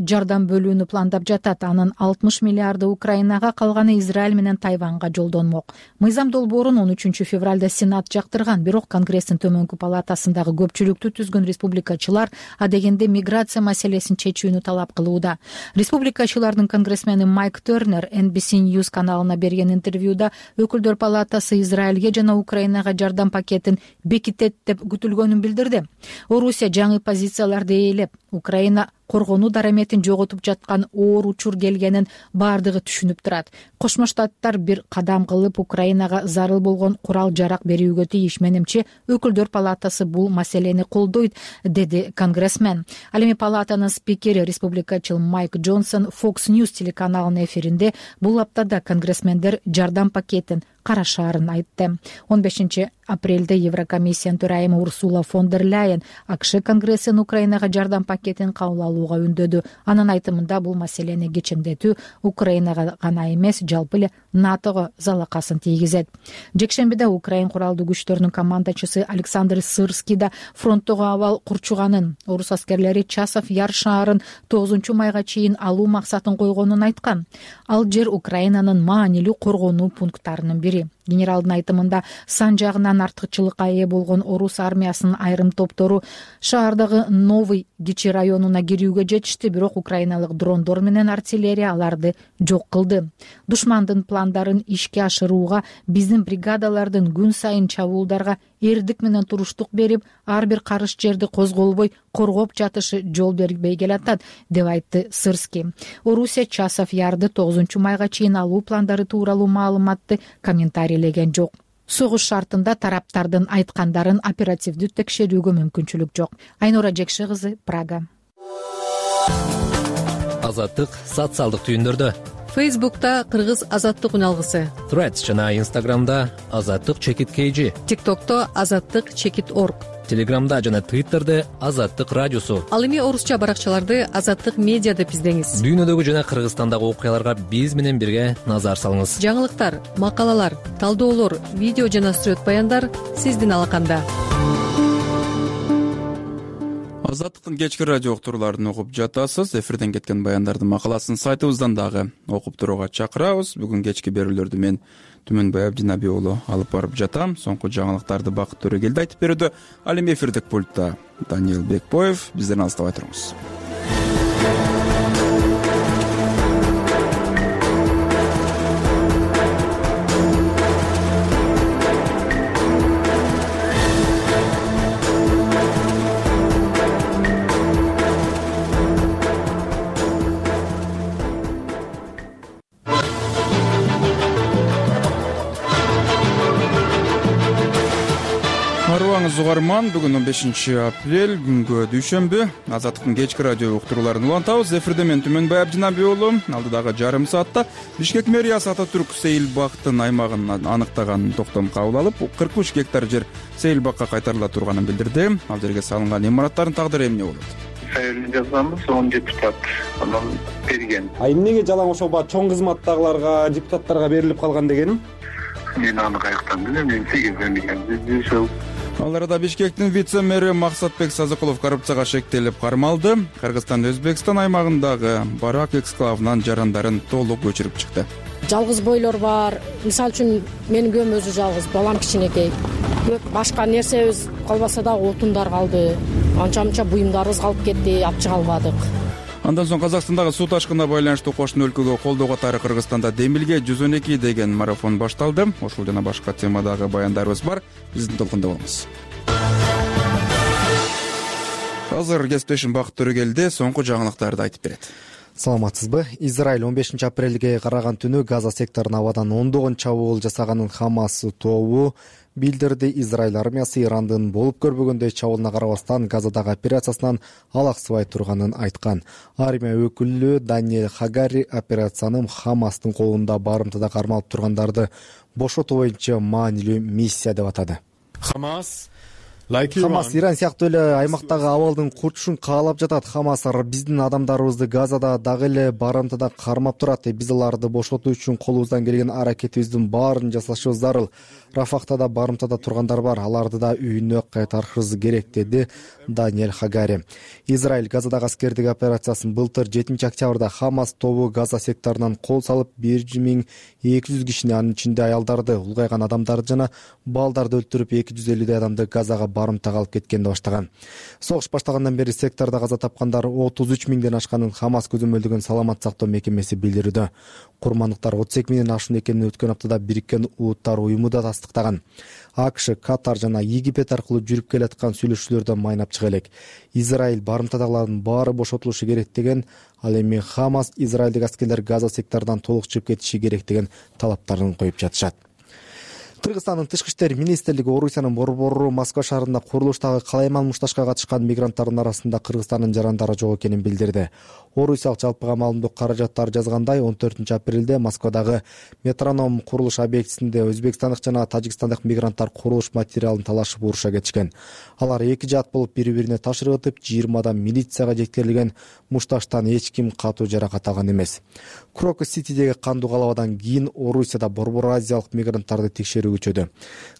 жардам бөлүүнү пландап жатат. Анын 60 миллиарды Украинага, калганы Израиль менен Тайванга жолдонмок. Мыйзам долбоорун 13 февралда Сенат жактырган, бирок Конгресстин төмөнкү палатасындагы көпчүлүктү түзгөн республикачылар адегенде миграция маселесин чечүүнү талап кылууда. Республикачылардын конгрессмени Майк Тернер NBC News каналына берген интервьюда өкүлдөр палатасы Израилге жана Украинага жардам пакетин бекитет деп күтүлгөнүн билдирди. Орусия жаңы позицияларды Украина коргонуу дараметин жоготуп жаткан оор учур келгенин бардыгы түшүнүп турат. Кошмо Штаттар бир кадам кылып Украинага зарыл болгон курал жарак берүүгө тийиш. Менимче өкүлдөр палатасы бул маселени колдойт, деди конгрессмен. Ал эми палатанын спикери республикачыл Майк Джонсон Fox News телеканалынын эфиринде бул аптада конгрессмендер жардам пакетин карашаарын айтты. 15 апрелде Еврокомиссиянын төрайымы Урсула фон дер Ляйен АКШ конгрессин Украинага жардам пакетин кабыл алууга үндөдү. Анын айтымында бул маселени кечеңдетүү Украинага гана эмес, жалпы эле НАТОго залакасын тийгизет. Жекшембиде Украин куралдуу күчтөрүнүн командачысы Александр Сырский да фронттогу абал курчуганын, орус аскерлери Часов Яр шаарын 9 майга чейин алуу максатын койгонун айткан. Ал жер Украинанын маанилүү коргонуу пункттарынын бири. Генералдын айтымында сан жагынан артыкчылыкка ээ болгон орус армиясынын айрым топтору шаардагы Новый кичи районуна кирүүгө жетишти, бирок украиналык дрондор менен артиллерия аларды жок кылды. Душмандын пландарын ишке ашырууга биздин бригадалардын күн сайын чабуулдарга эрдик менен туруштук берип, ар бир карыш жерди козголбой коргоп жатышы жол бербей келатат, деп айтты Сырский. Орусия Часов Ярды 9 майга чейин алуу пландары тууралуу маалыматты комментарийлеген жок. согуш шартында тараптардын айткандарын оперативдүү текшерүүгө мүмкүнчүлүк жок. Айнура Жекше кызы, Прага. Азаттык социалдык түйүндөрдө. Фейсбукта Кыргыз азаттык үналгысы, Threads жана Instagramда азаттык чекит KG, ТикТокто азаттык чекит орг, Телеграмда жана Twitterде азаттык радиосу. Ал эми орусча баракчаларды азаттык медиа деп издеңиз. Дүйнөдөгү жана Кыргызстандагы окуяларга биз менен бирге назар салыңыз. Жаңылыктар, макалалар, талдоолор, видео жана сүрөт баяндар сиздин алаканда. Азаттыктын кечки радио уктурууларын угуп жатасыз. Эфирден кеткен баяндардын макаласын сайтыбыздан дагы окуп турууга чакырабыз. Бүгүн кечки берүүлөрдү мен Түмөнбай Абдинаби уулу алып барып жатам. Соңку жаңылыктарды Бакыт Төрөгелди айтып берүүдө. Ал эми эфирдик пультта Даниил Бекбоев. Бизден алыстабай туруңуз. Угарман, бүгүн 15 апрель, күнгө дүйшөмбү. Азаттыктын кечки радио уктурууларын улантабыз. Эфирде мен Түмөнбай Абдинаби уулу. Алдыдагы жарым саатта Бишкек мэриясы Ататүрк Сейил бактын аймагын аныктаган токтом кабыл алып, 43 гектар жер Сейил бакка кайтарыла турганын билдирди. Ал жерге салынган имараттардын тагдыры эмне болот? Сайылын жазганбыз, 10 депутат анан берген. Эмнеге жалаң ошо чоң кызматтагыларга, депутаттарга берилип калган дегеним? Мен аны каяктан билем, мен сегизден билем. Ал арада Бишкектин вице-мэри Максатбек Сазыкулов коррупцияга шектелип кармалды. Кыргызстан Өзбекстан аймагындагы Барак эксклавынан жарандарын толук көчүрүп чыкты. Жалгыз бойлор бар. Мисалы үчүн менин күйөөм өзү жалгыз, балам кичинекей. Башка нерсебиз калбаса да отундар калды. Анча-мынча буюмдарыбыз калып кетти, алып чыга албадык. Андан соң Казакстандагы суу ташкынына байланыштуу кошуна өлкөгө колдоо катары Кыргызстанда Демилге 112 деген марафон башталды. Ошол жана башка темадагы баяндарыбыз бар. Биздин толкунда болуңуз. Азыр кесиптешим Бакыт Төрөгелди соңку жаңылыктарды айтып берет. Саламатсызбы? Израиль 15 апрелге караган түнү Газа секторуна абадан ондогон чабуул жасаганын Хамас тобу билдирди. Израиль армиясы Ирандын болуп көрбөгөндөй чабуулуна карабастан Газадагы операциясынан алаксыбай турганын айткан. Армия өкүлү Даниэль Хагари операцияны Хамастын колунда барымтада кармалып тургандарды бошотуу боюнча маанилүү миссия деп атады. Хамас Иран сыяктуу эле аймактагы абалдын курчушун каалап жатат. Хамас биздин адамдарыбызды Газада дагы эле барымтада кармап турат. Биз аларды бошотуу үчүн колубуздан келген аракетибиздин баарын жасашыбыз зарыл. Рафахта да барымтада тургандар бар. Аларды да үйүнө кайтарышыбыз керек, деди Даниэль Хагари. Израиль Газадагы аскердик операциясын былтыр 7-октябрда Хамас тобу Газа секторунан кол салып 1200 кишини, анын ичинде аялдарды, улгайган адамдарды жана балдарды өлтүрүп 250 адамды Газага барымтага алып кеткенди баштаган. Согуш баштагандан бери сектордо каза тапкандар 33 миңден ашканын Хамас көзөмөлдөгөн саламат сактоо мекемеси билдирүүдө. Курмандыктар 32 миңден ашуун экенин өткөн аптада Бириккен Улуттар уюму да тастыктаган. АКШ, Катар жана Египет аркылуу жүрүп келаткан сүйлөшүүлөрдө майнап чыга элек. Израиль барымтадагылардын баары бошотулушу керек деген, ал эми Хамас израилдик аскерлер Газа секторунан толук чыгып кетиши керек деген талаптарын коюп жатышат. Кыргызстандын тышкы иштер министрлиги Орусиянын борбору Москва шаарында курулуштагы калайман мушташка катышкан мигранттардын арасында Кыргызстандын жарандары жок экенин билдирди. Орусиялык жалпыга маалымдоо каражаттар жазгандай, 14 апрелде Москвадагы Метроном курулуш объектисинде өзбекстандык жана тажикстандык мигранттар курулуш материалын талашып уруша кетишкен. Алар эки жаат болуп бири-бирине таш ыргытып, 20 адам милицияга жеткирилген. Мушташтан эч ким катуу жаракат алган эмес. Крокус-Ситидеги кандуу калабадан кийин Орусияда борбор азиялык мигранттарды текшерүү күчөдү.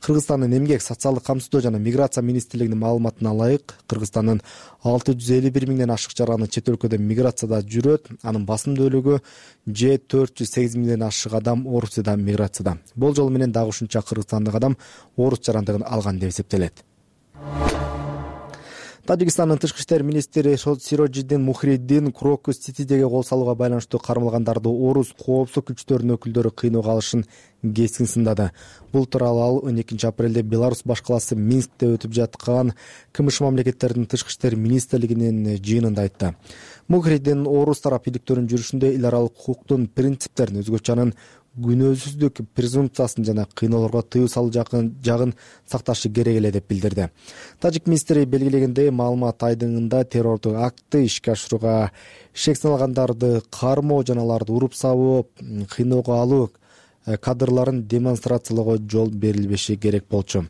Кыргызстандын эмгек, социалдык камсыздоо жана миграция министрлигинин маалыматына ылайык, Кыргызстандын 651 миңден ашык жараны чет өлкөдө миграцияда жүрөт. Анын басымдуулугу же 408 миңден ашык адам Орусияда миграцияда. Болжол менен дагы ушунча кыргызстандык адам орус жарандыгын алган деп эсептелет. Тажикстандын тышкы иштер министри Сироджиддин Мухриддин Крокус-Ситидеги кол салууга байланыштуу кармалгандарды орус коопсуздук күчтөрүнүн өкүлдөрү кыйноого алышын кескин сындады. Бул тууралуу ал 12 апрелде Беларусь башкаласы Минскте өтүп жаткан КМШ мамлекеттердин тышкы иштер министрлигинин жыйынында айтты. Мухриддин орус тарап иликтөрүнүн жүрүшүндө эл аралык укуктун принциптерин, өзгөчө анын күнөөсүздүк презумпциясын жана кыйноолорго тыюу салуу жагын сакташы керек эле деп билдирди. Тажик министри белгилегендей, маалымат айдыңында террордук актты ишке ашырууга шек салгандарды кармоо жана аларды уруп сабоо, кыйноого алуу кадрларын демонстрациялоого жол берилбеши керек болчу.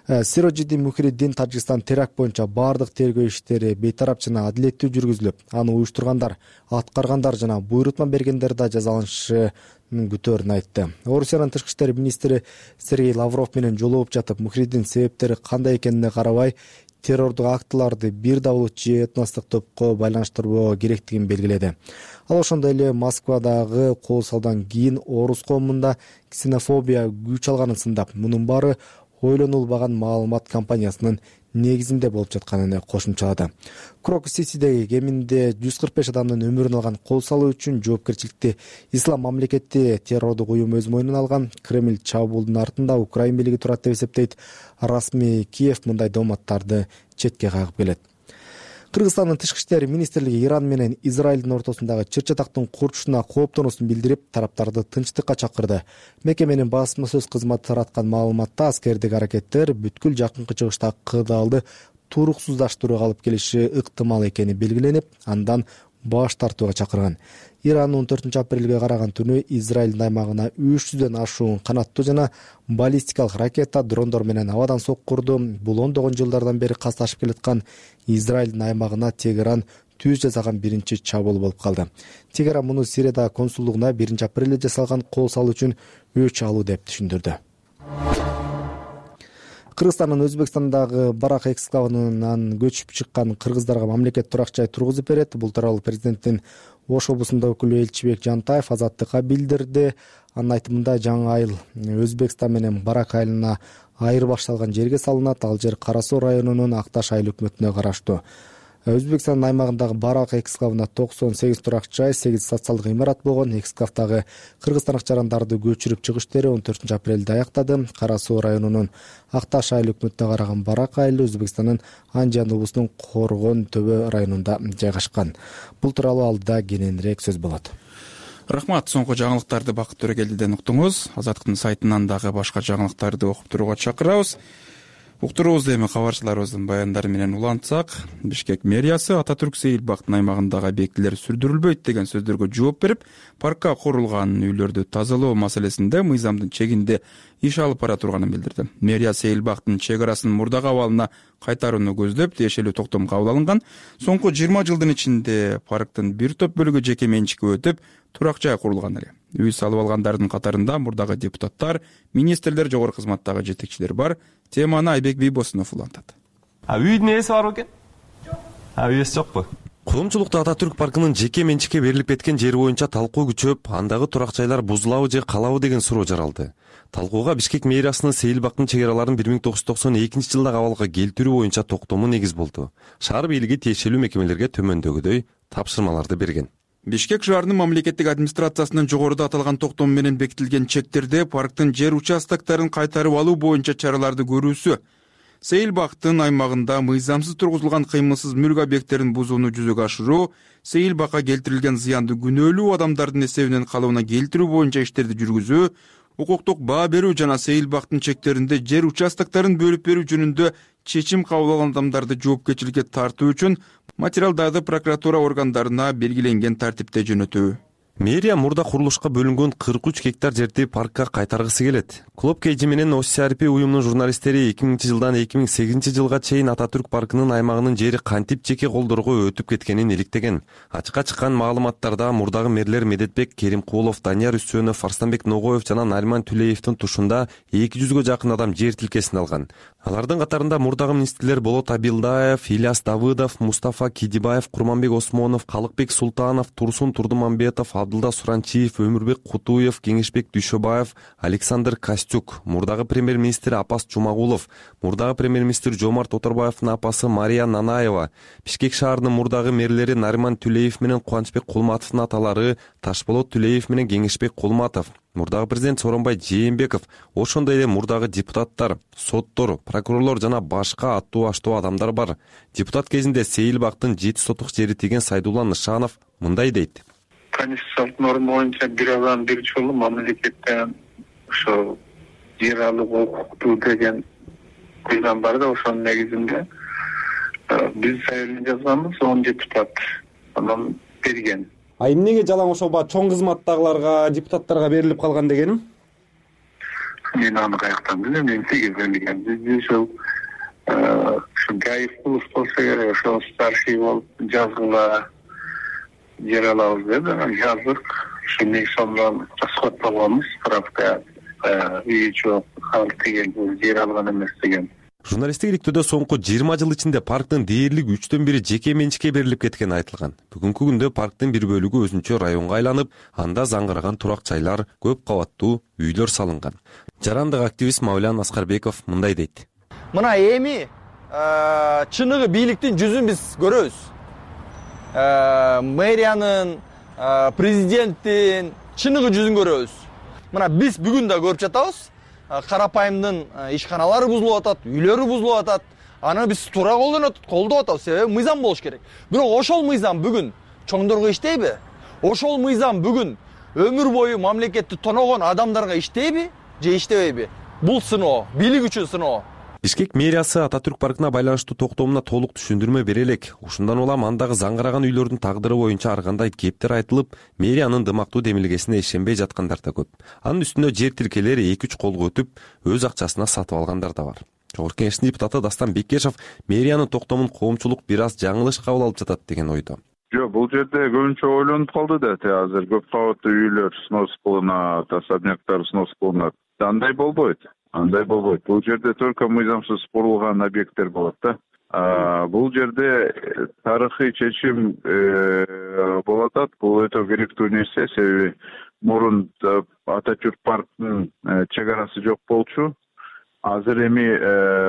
Сироджиди Мухриддин Тажикстан теракт боюнча баардык тергөө иштери бейтарап жана адилеттүү жүргүзүлүп, аны уюштургандар, аткаргандар жана буйрутма бергендер да жазаланышын күтөөрүн айтты. Орусиянын тышкы иштер министри Сергей Лавров менен жолугуп жатып, Мухриддин себептери кандай экенине карабай, террордук актыларды бир да улут же этностук топко байланыштырбоо керектигин белгиледи. Ал ошондой эле Москвадагы кол салуудан кийин орус коомунда ксенофобия күч алганын сындап, мунун баары ойлонулбаган маалымат кампаниясынын негизинде болуп жатканын кошумчалады. Крок Сисидеги кеминде 145 адамдын өмүрүн алган кол салуу үчүн жоопкерчиликти Ислам мамлекети террордук уюм өз мойнуна алган. Кремль чабуулдун артында Украин бийлиги турат деп эсептейт. Расмий Киев мындай дооматтарды четке кагып келет. Кыргызстандын тышкы иштер министрлиги Иран менен Израилдин ортосундагы чыр-чатактын курчушуна кооптонуусун билдирип, тараптарды тынчтыкка чакырды. Мекеменин басма сөз кызматы тараткан маалыматта аскердик аракеттер бүткүл жакынкы чыгыштагы кырдаалды туруксуздаштырууга алып келиши ыктымал экени белгиленип, андан баш тартууга чакырган. Иран 14-апрелге караган түнү Израилдин аймагына 300дөн ашуун канаттуу жана баллистикалык ракета, дрондор менен абадан соккурду. Бул ондогон жылдардан бери касташып келаткан Израилдин аймагына Тегеран түз жасаган биринчи чабуул болуп калды. Тегеран муну Сириядагы консулдугуна 1-апрелде жасалган кол салуу үчүн өч алуу деп түшүндүрдү. Кыргызстандын Өзбекстандагы Барак эксклавынан көчүп чыккан кыргыздарга мамлекет турак жай тургузуп берет. Бул тууралуу президенттин Ош облусунда өкүлү Элчибек Жантаев Азаттыкка билдирди. Анын айтымында жаңы айыл Өзбекстан менен Барак айылына айырбаш салган жерге салынат. Ал жер Кара Суу районунун Акташ айыл өкмөтүнө караштуу. Өзбекстандын аймагындагы Барак эксклавында 98 турак жай, 8 социалдык имарат болгон. Эксклавдагы кыргызстандык жарандарды көчүрүп чыгыш иштери 14-апрелде аяктады. Кара Суу районунун Акташ айыл өкмөтүнө караган Барак айылы Өзбекстандын Андижан облусунун Коргон Төбө районунда жайгашкан. Бул тууралуу алдыда кененирээк сөз болот. Рахмат. Соңку жаңылыктарды Бакыт Төрөгелдиден уктуңуз. Азаттыктын сайтынан дагы башка жаңылыктарды окуп турууга чакырабыз. Уктуруубузду эми кабарчыларыбыздын баяндары менен улантсак, Бишкек мэриясы Ататүрк Сейилбактын аймагындагы объектилер сүрдүрүлбөйт деген сөздөргө жооп берип, паркка курулган үйлөрдү тазалоо маселесинде мыйзамдын чегинде иш алып бара турганын билдирди. Мэрия Сейилбактын чек арасын мурдагы абалына кайтарууну көздөп, тиешелүү токтом кабыл алынган. Соңку 20 жылдын ичинде парктын бир топ бөлүгү жеке менчикке өтүп, турак жай курулган эле. Үй салып алгандардын катарында мурдагы депутаттар, министрлер, жогорку кызматтагы жетекчилер бар. Теманы Айбек Бийбосунов улантат. Үйдүн ээси бар бекен? Ээси жокпу? Коомчулукта Ататүрк паркынын жеке менчикке берилип кеткен жери боюнча талкуу күчөп, андагы турак жайлар бузулабы же калабы деген суроо жаралды. Талкууга Бишкек мэриясынын Сейилбактын чек араларын 1992 жылдагы абалга келтирүү боюнча токтому негиз болду. Шаар бийлиги тиешелүү мекемелерге төмөндөгүдөй тапшырмаларды берген. Бишкек шаарынын мамлекеттик администрациясынын жогоруда аталган токтом менен бекитилген чектерде парктын жер участоктарын кайтарып алуу боюнча чараларды көрүүсү, Сейилбактын аймагында мыйзамсыз тургузулган кыймылсыз мүлк объекттерин бузууну жүзөгө ашыруу, Сейилбакка келтирилген зыянды күнөөлүү адамдардын эсебинен калыбына келтирүү боюнча иштерди жүргүзүү, укуктук баа берүү жана Сейилбактын чектеринде жер участоктарын бөлүп берүү жөнүндө чечим кабыл алган адамдарды жоопкерчиликке тартуу үчүн материалдарды прокуратура органдарына белгиленген тартипте жөнөтүү. Мэрия мурда курулушка бөлүнгөн 43 гектар жерди паркка кайтаргысы келет. Клуб Кейжи менен ОСРП уюмунун журналисттери 2000 жылдан 2008 жылга чейин Ататүрк паркынын аймагынын жери кантип жеке колдорго өтүп кеткенин иликтеген. Ачыкка чыккан маалыматтарда мурдагы мэрлер Медетбек Керимкулов, Данияр Үсөнов, Арстанбек Ногоев жана Нариман Түлеевдин тушунда 200гө жакын адам жер тилкесин алган. Алардын катарында мурдагы министрлер Болот Абилдаев, Ильяс Давыдов, Мустафа Кидибаев, Курманбек Осмонов, Калыкбек Султанов, Турсун Турдумамбетов, Абдулда Суранчиев, Өмүрбек Кутуев, Кеңешбек Дүйшөбаев, Александр Костюк, мурдагы премьер-министр Апас Жумагулов, мурдагы премьер-министр Жомарт Оторбаевдин апасы Мария Нанаева, Бишкек шаарынын мурдагы мэрлери Нариман Түлеев менен Кубанычбек Кулматовдун аталары Ташболот Түлеев менен Кеңешбек Кулматов, мурдагы президент Сооронбай Жээнбеков, ошондой эле мурдагы депутаттар, соттор, прокурорлор жана башка аттуу-аштуу адамдар бар. Депутат кезинде Сейилбактын 7 сотук жери тиген Сайдулла Нышанов мындай дейт. конституциялык норма боюнча бир адам бир жолу мамлекеттен ошо жер алууга укуктуу деген мыйзам бар да, ошонун негизинде биз заявление жазганбыз, 10 депутат анан берген. А эмнеге жалаң ошол чоң кызматтагыларга, депутаттарга берилип калган дегеним? Мен аны каяктан билем, эмнеге берилген. Биз ошол ушу Гайыпкулов болсо керек, ошол старший болуп жазгыла жер алабыз деди, жаздык. Ошондон соң расход болгонбуз, правка үй жок, халк деген бул жер алган эмес деген. Журналисттик иликтөөдө соңку 20 жыл ичинде парктын дээрлик 1/3 жеке менчикке берилип кеткени айтылган. Бүгүнкү күндө парктын бир бөлүгү өзүнчө районго айланып, анда заңгыраган турак жайлар, көп кабаттуу үйлөр салынган. Жарандык активист Мавлян Аскарбеков мындай дейт. Мына эми чыныгы бийликтин жүзүн биз көрөбүз. Мэриянын, президенттин чыныгы жүзүн көрөбүз. Мына биз бүгүн да көрүп жатабыз. Карапайымдын ишканалары бузулуп атат, үйлөрү бузулуп атат. Аны биз туура колдоп атабыз, себеби мыйзам болуш керек. Бирок ошол мыйзам бүгүн чоңдорго иштейби? Ошол мыйзам бүгүн өмүр бою мамлекетти тоногон адамдарга иштейби же иштебейби? Бул сыноо, бийлик үчүн сыноо. Бишкек мэриясы Ататүрк паркына байланыштуу токтомуна толук түшүндүрмө бере элек. Ушундан улам андагы заңгыраган үйлөрдүн тагдыры боюнча ар кандай кептер айтылып, мэриянын дымактуу демилгесине ишенбей жаткандар да көп. Анын үстүнө жер тилкелери 2-3 колго өтүп, өз акчасына сатып алгандар да бар. Жогорку Кеңештин депутаты Дастан Бекешев мэриянын токтомун коомчулук бир аз жаңылыш кабыл алып жатат деген ойдо. Жок, бул жерде көбүнчө ойлонуп калды да, азыр көп кабаттуу үйлөр снос кылынат, особняктар снос кылынат. Андай болбойт. Бул жерде только мыйзамсыз курулган объекттер болот да. Бул жерде тарыхый чечим болуп атат. Бул өтө керектүү нерсе, себеби мурун Ататүрк парктын чек арасы жок болчу. Азыр эми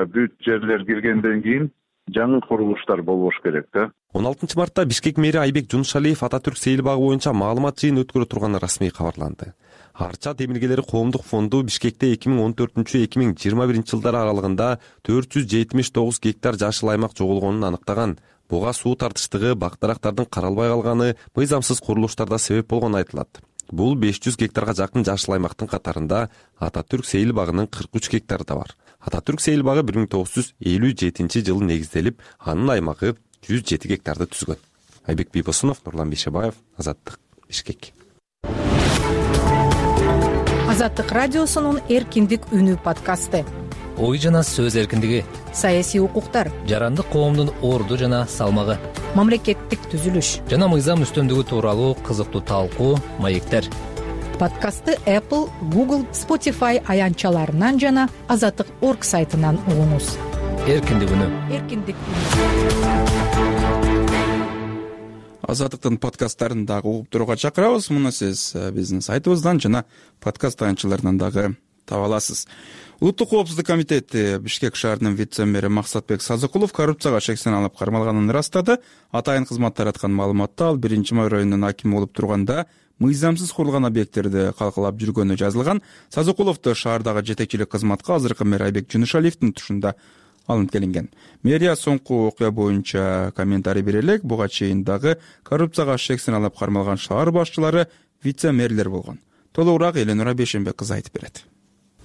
бүт жерлер киргенден кийин жаңы курулуштар болбош керек да. 16 мартта Бишкек мэри Айбек Жунушалиев Ататүрк сейил багы боюнча маалымат жыйын өткөрө турганы расмий кабарланды. Арча демилгелери коомдук фонду Бишкекте 2014-2021 жылдар аралыгында 479 гектар жашыл аймак жоголгонун аныктаган. Буга суу тартыштыгы, бак-дарактардын каралбай калганы, мыйзамсыз курулуштарда себеп болгону айтылат. Бул 500 гектарга жакын жашыл аймактын катарында Ататүрк сейил багынын 43 гектары да бар. Ататүрк сейил багы 1957 жылы негизделип, анын аймагы 107 гектарды түзгөн. Айбек Бийбосунов, Нурлан Бейшебаев, Азаттык, Бишкек. Азаттык радиосунун эркиндик үнү подкасты. Ой жана сөз эркиндиги, саясий укуктар, жарандык коомдун орду жана салмагы, мамлекеттик түзүлүш жана мыйзам үстөмдүгү тууралуу кызыктуу талкуу, маектер. Подкастты Apple, Google, Spotify аянтчаларынан жана Азаттык.org сайтынан угуңуз. Эркиндик үнү. Азаттыктын подкасттарын дагы угуп турууга чакырабыз. Муну сиз биздин сайтыбыздан жана подкаст аянтчаларынан дагы таба аласыз. Улуттук коопсуздук комитети Бишкек шаарынын вице-мэри Максатбек Сазыкулов коррупцияга шектен алып кармалганын ырастады. Атайын кызмат тараткан маалыматта ал 1-Май районунун акими болуп турганда мыйзамсыз курулган объекттерди калкалап жүргөнү жазылган. Сазыкуловду шаардагы жетекчилик кызматка азыркы мэр Айбек Жунушалиевдин тушунда алынып келинген. Мэрия соңку окуя боюнча комментарий бере элек. Буга чейин дагы коррупцияга шектен алып кармалган шаар башчылары вице-мэрлер болгон. Толугураак Эленура Бейшенбек кызы айтып берет.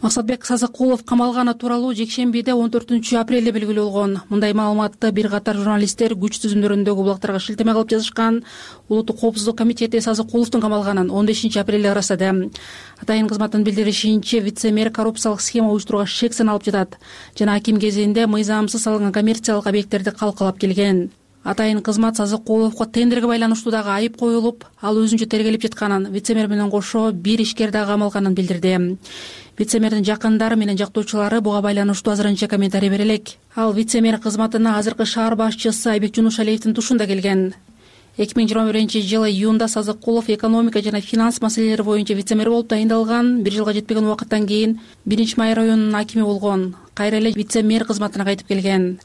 Максатбек Сазыкулов камалганы тууралуу жекшембиде 14-апрелде белгилүү болгон. Мындай маалыматты бир катар журналисттер күч түзүмдөрүндөгү булактарга шилтеме кылып жазышкан. Улуттук коопсуздук комитети Сазыкуловдун камалганын 15-апрелде ырастады. Атайын кызматтын билдиришинче, вице-мэр коррупциялык схема уюштурууга шектен алып жатат жана аким кезинде мыйзамсыз салынган коммерциялык объекттерди калкалап келген. Атайын кызмат Сазыкуловго тендерге байланыштуу дагы айып коюлуп, ал өзүнчө тергелип жатканын, вице-мэр менен кошо бир ишкер дагы камалганын билдирди. Вице-мэрдин жакындары менен жактоочулары буга байланыштуу азырынча комментарий бере элек. Ал вице-мэр кызматына азыркы шаар башчысы Айбек Жунушалиевдин тушунда келген. 2021-жылы июнда Сазыкулов экономика жана финанс маселелери боюнча вице-мэр болуп тайындалган. Бир жылга жетпеген убакыттан кийин 1-Май районунун акими болгон. Кайра эле вице-мэр кызматына кайтып келген.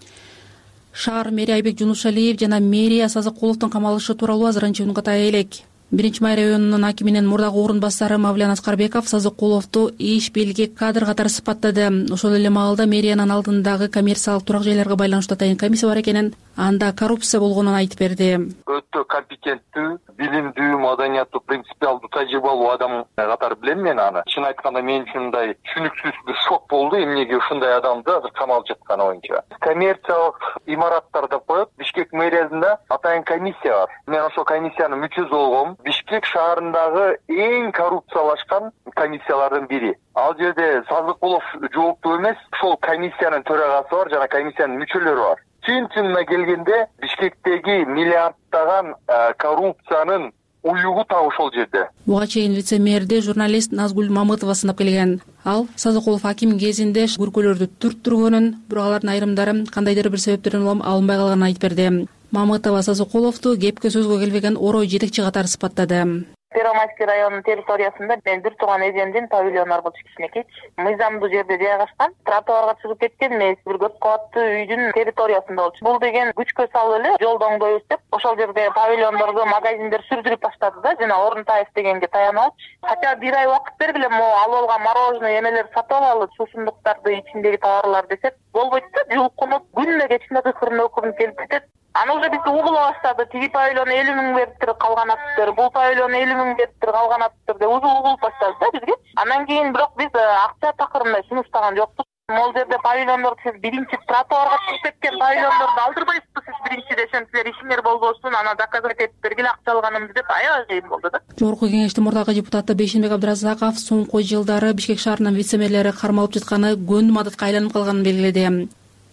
Шаар мэри Айбек Жунушалиев жана мэрия Сазыкуловдун камалышы тууралуу азырынча үн катая элек. 1-Май районунун акиминин мурдагы орун басары Мавлян Аскарбеков Сазыкуловду иш белги кадр катары сыпаттады. Ошол эле маалда мэриянын алдындагы коммерциялык турак жайларга байланыштуу атайын комиссия бар экенин, анда коррупция болгонун айтып берди. Өтө компетенттүү, билимдүү, маданияттуу, принципиалдуу, тажрыйбалуу адам катары билем мен аны. Чын айтканда мен үчүн мындай түшүнүксүз бир шок болду эмнеге ушундай адамды азыр камалып жатканы боюнча. Коммерциялык имараттар деп коет. Бишкек мэриясында атайын комиссия бар. Мен ошол комиссиянын мүчөсү болгом. Бишкек шаарындагы эң коррупциялашкан комиссиялардын бири. Ал жерде Сазыкулов жооптуу эмес, ошол комиссиянын төрагасы бар жана комиссиянын мүчөлөрү бар. Чын-чынына келгенде Бишкектеги миллиарддаган коррупциянын уюгу так ошол жерде. Буга чейин вице-мэрди журналист Назгүл Мамытова сынап келген. Ал Сазыкулов аким кезинде көркөлөрдү түрттүргөнүн, бирок алардын айрымдары кандайдыр бир себептерден алынбай калганын айтып берди. Мамытова Сазыкуловду кепке сөзгө келбеген орой жетекчи катары сыпаттады. Первомайский районунун территориясында мен бир тууган эжемдин павильону болчу кичинекей. Мыйзамдуу жерде жайгашкан, тротуарга чыгып кеткен эмес, бир көп кабаттуу үйдүн территориясында болчу. Бул деген күчкө салып эле жолду оңдойбуз деп, ошол жерде павильондорду, магазиндер сүрдүрүп баштады да, жана Орунтаев дегенге таянып. Хотя бир ай убакыт бергиле, алып алган мороженое эмелер сатып алалы, сусундуктарды, ичиндеги товарлар десек, болбойт да, жулкунуп, күнүнө кечинде кыркырын өкүрүнүп келип кетет. Аны уже бизди угула баштады. Тиги павильон 50 миң бериптир, калган атыптыр. Бул павильон 50 миң бериптир, калган атыптыр деп угулуп баштады да бизге. Андан кийин бирок биз акча такырында сунуштаган жокпуз. Могул жерде павильондорду сиз биринчи тротуарга чыгып кеткен павильондорду алдырбайсызбы сиз биринчи десем, силер ишиңер болбосун, аны доказать этип бергиле, акча алганымды деп аябай кыйын болду да. Жогорку кеңештин мурдагы депутаты Бейшенбек Абдыразаков соңку жылдары Бишкек шаарынын вице-мэрлери кармалып жатканы көндүм адатка айланып калганын белгиледи.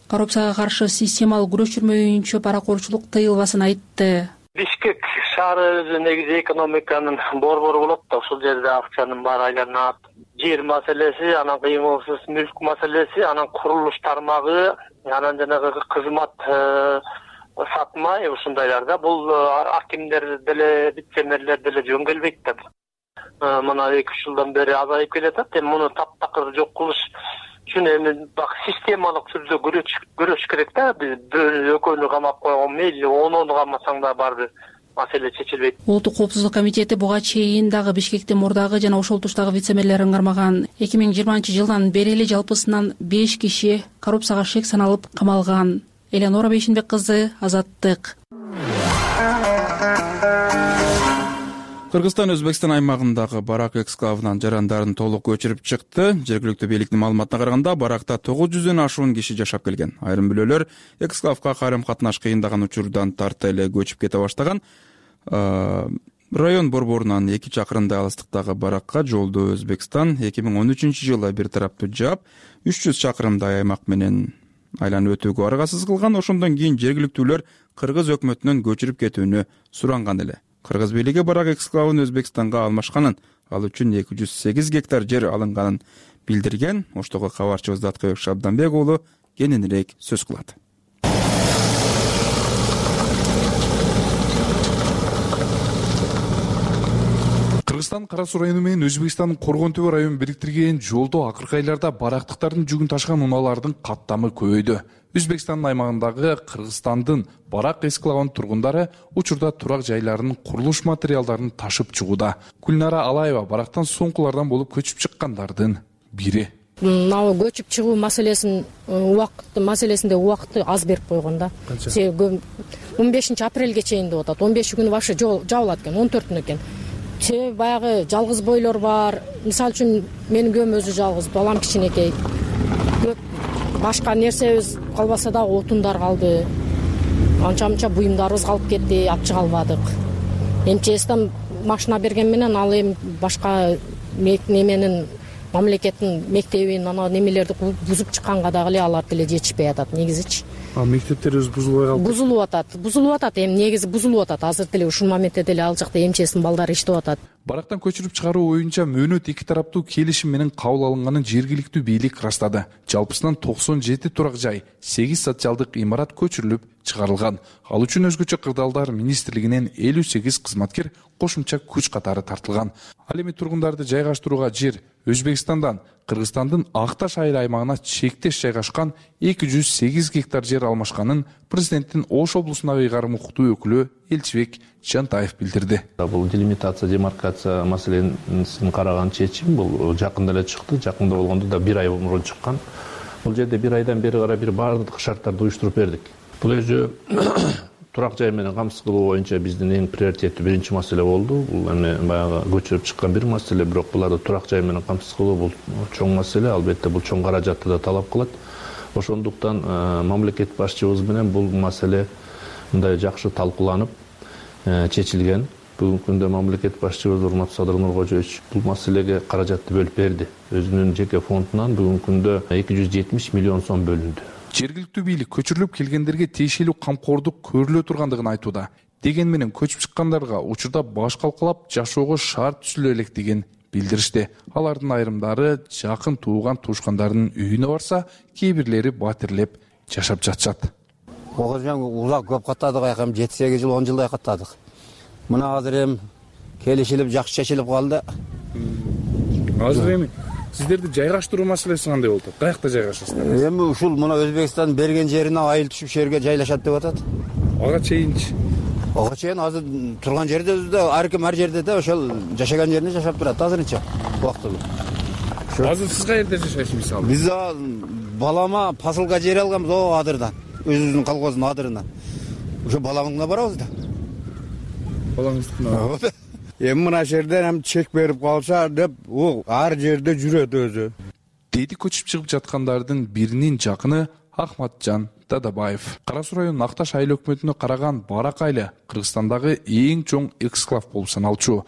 Коррупцияга каршы системалык күрөш жүрмөйүнчө паракорчулук тыйылбасын айтты. Бишкек шаары негизи экономиканын борбору болот да, ошол жерде акчанын баары айланат. Жер маселеси, анан кыймылсыз мүлк маселеси, анан курулуш тармагы, анан жанагы кызмат сатмай ушундайларда бул акимдер деле, вице-мэрлер деле жөн келбейт да. Мына 2-3 жылдан бери азайып келатат. Эми муну таптакыр жок кылыш үчүн эми системалык түрдө көрүш керек да. Биз экөөнү камап койгон мейли 10 камасаң да барбыр маселе чечилбейт. Улуттук коопсуздук комитети буга чейин дагы Бишкектин мурдагы жана ошол туштагы вице-мэрлерин кармаган. 2020-жылдан бери эле жалпысынан 5 киши коррупцияга шек саналып камалган. Элеонора Бейшенбек кызы, Азаттык. Кыргызстан Өзбекстан аймагындагы барак эксклавынан жарандарын толук көчүрүп чыкты. Жергиликтүү бийликтин маалыматына караганда, баракта 900дөн ашуун киши жашап келген. Айрым бөлөлөр эксклавга карым-катнаш кыйындаган учурдан тарта эле көчүп кете баштаган. Район борборунан 2 чакырымдай алыстыктагы баракка жолду Өзбекстан 2013-жылы бир тараптуу жаап, 300 чакырымдай аймак менен айланып өтүүгө аргасыз кылган. Ошондон кийин жергиликтүүлөр Кыргыз өкмөтүнөн көчүрүп кетүүнү суранган эле. Кыргыз бийлиги барак эксклавын Өзбекстанга алмашканын, ал үчүн 208 гектар жер алынганын билдирген. Оштогу кабарчыбыз Даткыбек Шабданбек уулу кененирээк сөз кылат. Кыргызстан Кара Суу району менен Өзбекстандын Коргон Төбө районун бириктирген жолдо акыркы айларда барактыктардын жүгүн ташыган унаалардын каттамы көбөйдү. Өзбекстандын аймагындагы Кыргызстандын барак эксклавынын тургундары учурда турак жайларынын курулуш материалдарын ташып чыгууда. Гүлнара Алаева барактан соңкулардан болуп көчүп чыккандардын бири. Мына көчүп чыгуу маселесинде убакытты аз берип койгон да. 15-апрелге чейин деп атат. 15 күнү вообще жабылат экен, 14-күнү экен. Баягы жалгыз бойлор бар. Мисалы үчүн менин күйөөм өзү жалгыз, балам кичинекей. Башка нерсебиз калбаса да отундар калды. Анча-мынча буюмдарыбыз калып кетти, алып чыга албадык. МЧСтен машина берген менен ал эми башка неменин мамлекеттин мектебин, ана немелерди бузуп чыкканга дагы эле алар деле жетишпей атат негизичи. Мектептерибиз бузулбай калды. Бузулуп атат, эми негизи бузулуп атат. Азыр деле ушул моментте деле ал жакта МЧСтин балдары иштеп атат. Барактан көчүрүп чыгаруу боюнча мөөнөт 2 тараптуу келишим менен кабыл алынганын жергиликтүү бийлик ырастады. Жалпысынан 97 турак жай, 8 социалдык имарат көчүрүлүп чыгарылган. Ал үчүн өзгөчө кырдаалдар министрлигинен 58 кызматкер кошумча күч катары тартылган. Ал эми тургундарды жайгаштырууга жер Өзбекстандан Кыргызстандын Акташ айыл аймагына чектеш жайгашкан 208 гектар жер алмашканын президенттин Ош облусундагы ыйгарым укуктуу өкүлү Элчибек Жантаев билдирди. Бул делимитация, демаркация маселесин караган чечим бул жакында эле чыкты. Жакында болгондо да 1 ай мурун чыккан. Бул жерде 1 айдан бери карай бир бардык шарттарды уюштуруп бердик. бул өзү турак жай менен камсыз кылуу боюнча биздин эң приоритеттүү биринчи маселе болду. Бул эми баягы көчүрүп чыккан бир маселе, бирок буларды турак жай менен камсыз кылуу бул чоң маселе. Албетте бул чоң каражатты да талап кылат. Ошондуктан мамлекет башчыбыз менен бул маселе мындай жакшы талкууланып чечилген. Бүгүнкү күндө мамлекет башчыбыз урматтуу Садыр Нуркожоевич бул маселеге каражатты бөлүп берди. Өзүнүн жеке фондунан бүгүнкү күндө 270 миллион сом бөлүндү. Жергиликтүү бийлик көчүрүлүп келгендерге тиешелүү камкордук көрүлө тургандыгын айтууда. Дегени менен көчүп чыккандарга учурда баш калкалап жашоого шарт түзүлө элек деген билдиришти. Алардын айрымдары жакын тууган туушкандардын үйүнө барса, кээ бирлери батирлеп жашап жатышат. Узак көп каттадык, айкам 7-8 жыл 10 жылдай каттадык. Мына азыр эми келишилип жакшы чечилип калды. Азыр эми сиздерди жайгаштыруу маселеси кандай болду? Каякта жайгашасыздар? Эми ушул мына Өзбекстан берген жерине айыл түшүп жерге жайлашат деп атат. Ага чейинчи? Ага чейин азыр турган жерде өзүдө ар ким ар жерде да ошол жашаган жеринде жашап турат азырынча убактылуу. Азыр сиз каерде жашайсыз мисалы? Биз балама посылка жер алганбыз о адырдан, өзүбүздүн колхоздун адырынан. Ошо баламдын барабыз да. Балаңыздын. Эми мына жерден эми чек берип калса деп, ол ар жерде жүрөт өзү. Деди көчүп чыгып жаткандардын биринин жакыны Ахматжан Дадабаев. Кара Суу районунун Акташ айыл өкмөтүнө караган Барак айылы Кыргызстандагы эң чоң эксклав болуп саналчу.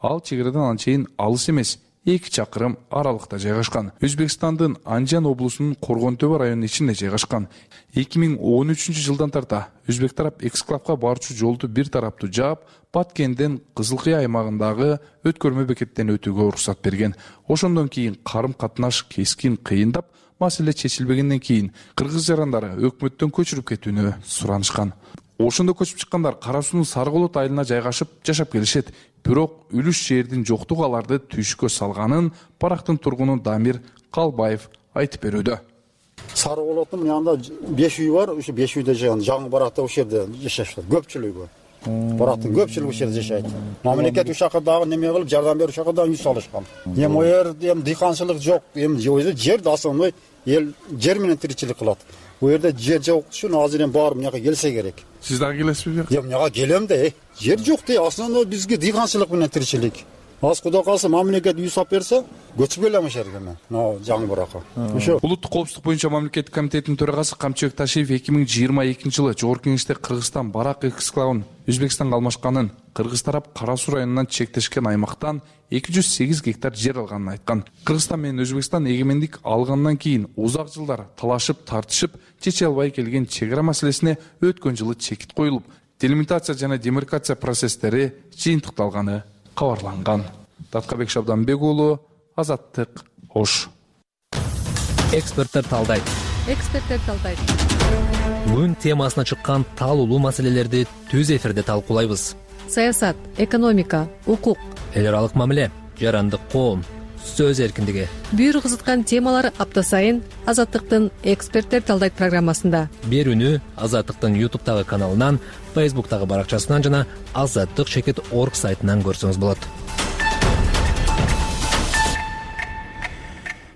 Ал чек-чегaradan анчейин алыс эмес, 2 чакырым аралыкта жайгашкан. Өзбекстандын Анжан облусунун Коргон Төбө районунун ичинде жайгашкан. 2013-жылдан тарта Өзбек тарап эксклавга барчу жолду бир тараптуу жаап, Баткенден Кызылкыя аймагындагы өткөрмө бекеттен өтүүгө уруксат берген. Ошондон кийин карым-катнаш кескин кыйындап, маселе чечилбегенден кийин кыргыз жарандары өкмөттөн көчүрүп кетүүнү суранышкан. Ошондо көчүп чыккандар Кара Суунун Сарголот айылына жайгашып жашап келишет. Бирок үлүш жердин жоктугу аларды түйшкө салганын Барактын тургуну Дамир Калбаев айтып берүүдө. Сарголоттун янында 5 үй бар, ошо 5 үйдө жашаган. Жаңы Баракта ошол жерде жашашат. Көпчүлүгү. Барактын көпчүлүгү ошол жерде жашайт. Мамлекет ушакка дагы неме кылып жардам берип ушакка дагы үй салышкан. Эми оерде дыйканчылык жок. Эми жер основной эл жер менен тиричилик кылат. Bu yerde yer yok üçün azıren bağırım yağa gelse gerek. Siz daha gelesiniz mi? Yağa gelem de yer yok de aslında bizge dıyğançılık bilen tirçilik. Az kuda kalsa mamleket үй сап берсе көчүп келем ошерге мен. Жаңы Баракка. Ошо. Улуттук коопсуздук боюнча мамлекеттик комитеттин төрагасы Камчыбек Ташиев 2022-жылы Жогорку Кеңеште Кыргызстан Барак эксклавын Өзбекстанга алмашканын, кыргыз тарап Кара Суу районунан чектешкен аймактан 208 гектар жер алганын айткан. Кыргызстан менен Өзбекстан эгемендик алгандан кийин узак жылдар талашып, тартышып, чече албай келген чек-чегара маселесине өткөн жылы чекит коюлуп, делимитация жана демаркация процесстери жыйынтыкталганы кабарланган. Таткабек Шабданбек уулу, Азаттык, Ош. Эксперттер талдайт. Күн темасына чыккан талуулуу маселелерди түз эфирде талкуулайбыз. Саясат, экономика, укук, эл аралык мамиле, жарандык коом, сөз эркиндиги. Бир кызыткан темалар апта сайын Азаттыктын эксперттер талдайт программасында. Берүүнү Азаттыктын YouTube'тагы каналынан, Facebook'тагы баракчасынан жана azattik.org сайтынан көрсөңүз болот.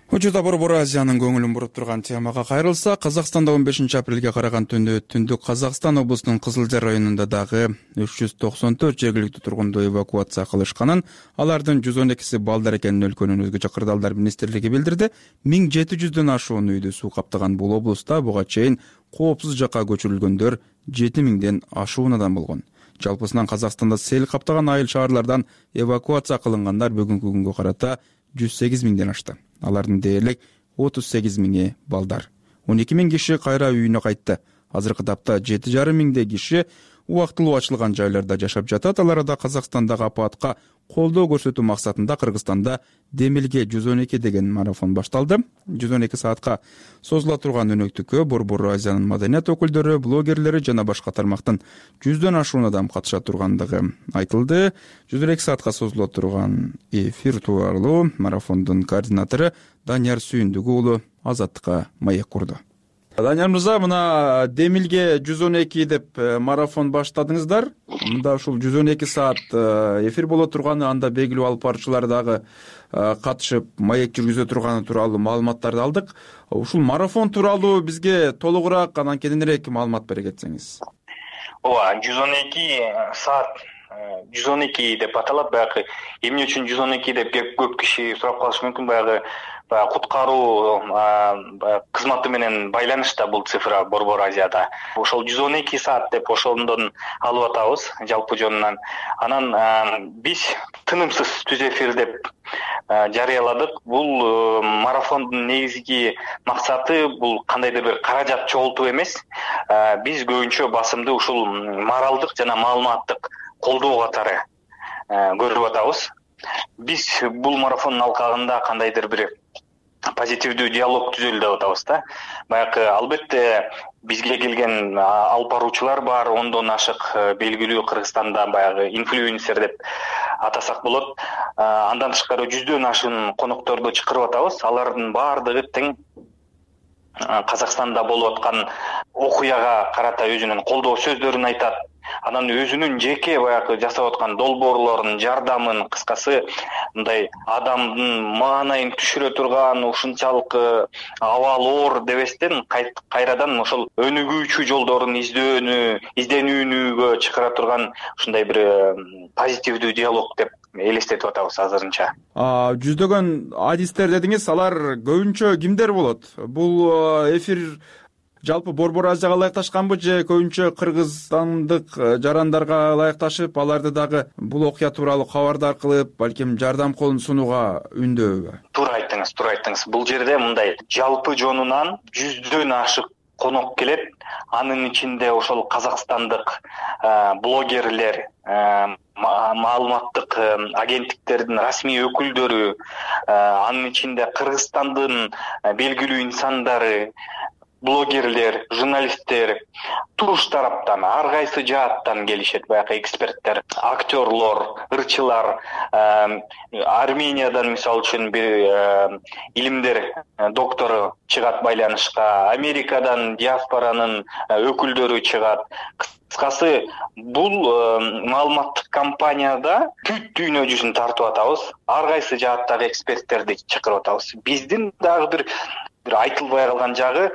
Учурда Борбор Азиянын көңүлүн буруп турган темага кайрылса, Казакстанда 15 апрелге караган түндө Түндүк Казакстан облусунун Кызылжар районунда дагы 394 жергиликтүү тургунду эвакуация кылышканын, алардын 112си балдар экенин өлкөнүн өзгөчө кырдаалдар министрлиги билдирди. 1700дөн ашуун үйдү суу каптаган бул облуста буга чейин коопсуз жакка көчүрүлгөндөр 7000ден ашуун адам болгон. Жалпысынан Казакстанда сел каптаган айыл шаарлардан эвакуация кылынгандар бүгүнкү күнгө карата 108 миңден ашты. Алардын дээрлик 38 миңи балдар. 12 миң киши кайра үйүнө кайтты. Азыркы тапта 7,5 миңдей киши убактылуу ачылган жайларда жашап жатат. Алар да Казакстандагы апатка колдоо көрсөтүү максатында Кыргызстанда Демилге 112 деген марафон башталды. 112 саатка созула турган өнөктүккө Борбор Азиянын маданият өкүлдөрү, блогерлери жана башка тармактын 100дөн ашуун адам катыша тургандыгы айтылды. 112 саатка созула турган эфир тууралуу марафондун координатору Данияр Сүйүндүк уулу Азаттыкка маек курду. Данияр мырза, мына Демилге 112 деп марафон баштадыңыздар. Мында ушул 112 саат эфир боло турганы, анда белгилүү алып баруучулар дагы катышып маек жүргүзө турганы тууралуу маалыматтарды алдык. Ушул марафон тууралуу бизге толугураак, анан кененирээк маалымат бере кетсеңиз. Ооба, 112 саат 112 деп аталат. Баягы эмне үчүн 112 деп көп киши сурап калышы мүмкүн. Баягы куткаруу кызматы менен байланышта бул цифра Борбор Азияда. Ошол 112 саат деп ошондон алып атабыз жалпы жонунан. Анан биз тынымсыз түз эфир деп жарыяладык. Бул марафондун негизги максаты бул кандайдыр бир каражат чогултуу эмес. Биз көбүнчө басымды ушул моралдык жана маалыматтык колдоо катары көрүп атабыз. Биз бул марафондун алкагында кандайдыр бир позитивдүү диалог түзөлү деп атабыз да. Баягы албетте бизге келген алып баруучулар бар, ондон ашык белгилүү Кыргызстанда баягы инфлюенсер деп атасак болот. Андан тышкары жүздөн ашык конокторду чакырып атабыз. Алардын баардыгы тең Казакстанда болуп аткан окуяга карата өзүнүн колдоо сөздөрүн айтат. Анан өзүнүн жеке баягы жасап аткан долбоорлорун, жардамын, кыскасы мындай адамдын маанайын түшүрө турган, ушунчалык абал оор дебестен кайрадан ошол өнүгүүчү жолдорун изденүүгө чакыра турган ушундай бир позитивдүү диалог деп элестетип атабыз азырынча. Жүздөгөн адистер дедиңиз, алар көбүнчө кимдер болот? Бул эфир жалпы Борбор Азияга ылайыкташканбы же көбүнчө кыргызстандык жарандарга ылайыкташып, аларды дагы бул окуя тууралуу кабардар кылып, балким жардам колун сунууга үндөбү? Туура айттыңыз. Бул жерде мындай жалпы жонунан жүздөн ашык конок келет. Анын ичинде ошол казакстандык блогерлер, маалыматтык агенттиктердин расмий өкүлдөрү, анын ичинде Кыргызстандын белгилүү инсандары, блогерлер, журналисттер туруш тараптан, ар кайсы жааттан келишет. Баягы эксперттер, актерлор, ырчылар, Армениядан мисалы үчүн бир илимдер доктору чыгат байланышка, Америкадан диаспоранын өкүлдөрү чыгат. Кыскасы, бул маалыматтык кампанияда бүт дүйнө жүзүн тартып атабыз. Ар кайсы жааттагы эксперттерди чакырып атабыз. Биздин дагы бир айтылбай калган жагы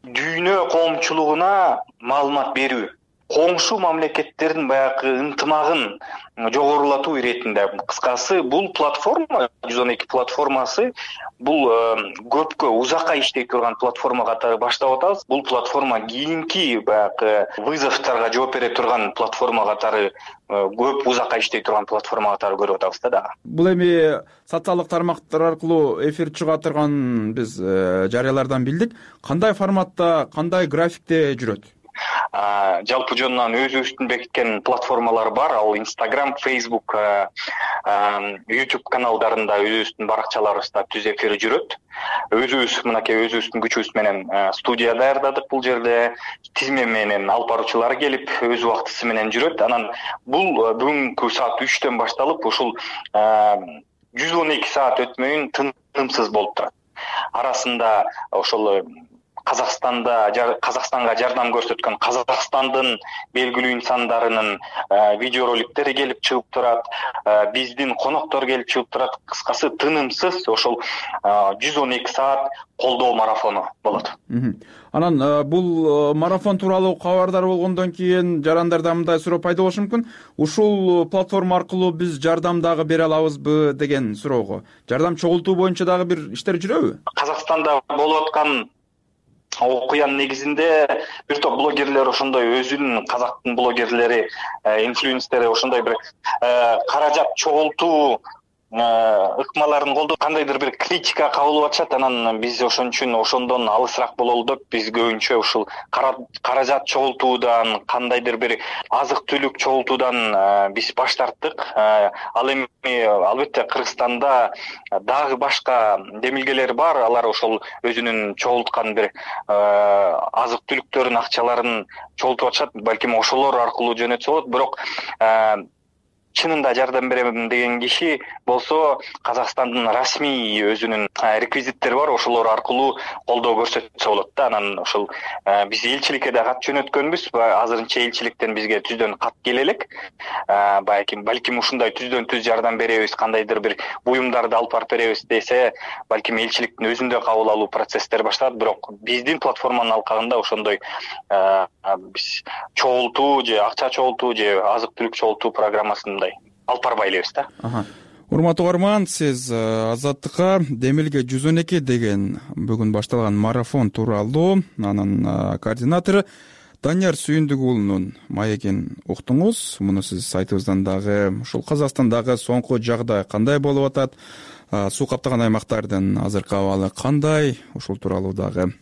дүйнө коомчулугуна маалымат берүү. Коңшу мамлекеттердин баягы ынтымагын жогорулатуу иретинде. Кыскасы, бул платформа, 112 платформасы, бул көпкө узакка иштей турган платформа катары баштап атабыз. Бул платформа кийинки баягы вызовторго жооп бере турган платформа катары, көп узакка иштей турган платформа катары көрүп атабыз да дагы. Бул эми социалдык тармактар аркылуу эфир чыга турган биз жарыялардан билдик. Кандай форматта, кандай графикте жүрөт? Жалпы жонунан өзүбүздүн бекиткен платформалар бар. Ал Instagram, Facebook, YouTube каналдарында өзүбүздүн баракчаларыбызда түз эфир жүрөт. Өзүбүз мынакей өзүбүздүн күчүбүз менен студия даярдадык. Бул жерде тизме менен алып баруучулар келип өз убактысы менен жүрөт. Анан бул бүгүнкү саат 3төн башталып, ушул 112 саат өтмөйүн тынымсыз болуп турат. Арасында ошол Казакстанга жардам көрсөткөн Казакстандын белгилүү инсандарынын видеороликтери келип чыгып турат, биздин коноктор келип чыгып турат. Кыскасы, тынымсыз ошол 112 саат колдоо марафону болот. Анан бул марафон тууралуу кабардар болгондон кийин жарандарда мындай суроо пайда болушу мүмкүн. Ушул платформа аркылуу биз жардам дагы бере алабызбы деген суроого. Жардам чогултуу боюнча дагы бир иштер жүрөбү? Казакстанда болуп аткан окуянын негизинде бир топ блогерлер ошондой өзүнүн казактын блогерлери, инфлюенсери ошондой бир каражат чогултуу ыкмаларын колдоп кандайдыр бир критика кабыл алып атышат. Анан биз ошон үчүн ошондон алысыраак бололу деп биз көбүнчө ушул каражат чогултуудан, кандайдыр бир азык түлүк чогултуудан биз баш тарттык. Ал эми албетте Кыргызстанда дагы башка демилгелер бар. Алар ошол өзүнүн чогулткан бир азык түлүктөрүн, акчаларын чогултуп атышат. Балким ошолор аркылуу жөнөтсө болот. Бирок чынында жардам берем деген киши болсо Казакстандын расмий өзүнүн реквизиттери бар, ошолор аркылуу колдоо көрсөтсө болот да. Анан ошол биз элчиликке да кат жөнөткөнбүз. Азырынча элчиликтен бизге түздөн кат келе элек. Балким ушундай түздөн түз жардам беребиз, кандайдыр бир буюмдарды алып барып беребиз десе, балким элчиликтин өзүндө кабыл алуу процесстери башталат. Бирок биздин платформанын алкагында ошондой биз чогултуу же акча чогултуу же азык түлүк чогултуу программасын мындай алып барбай элебиз да. Урматтуу угарман, сиз Азаттыкка Демилге 112 деген бүгүн башталган марафон тууралуу анын координатору Данияр Сүйүндүк уулунун маегин уктуңуз. Муну сиз сайтыбыздан дагы ушул Казакстандагы соңку жагдай кандай болуп атат, суу каптаган аймактардын азыркы абалы кандай, ушул тууралуу дагы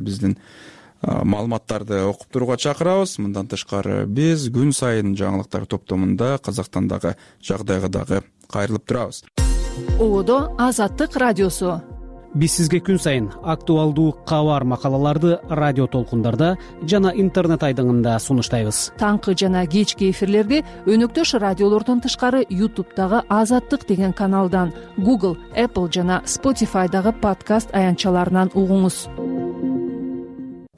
биздин маалыматтарды окуп турууга чакырабыз. Мындан тышкары биз күн сайын жаңылыктар топтомунда Казакстандагы жагдайга дагы кайрылып турабыз. Одо Азаттык радиосу. Биз сизге күн сайын актуалдуу кабар макалаларды радио толкундарда жана интернет айдыңында сунуштайбыз. Таңкы жана кечки эфирлерди өнөктөш радиолордон тышкары YouTube'дагы Азаттык деген каналдан, Google, Apple жана Spotify'дагы подкаст аянтчаларынан угуңуз.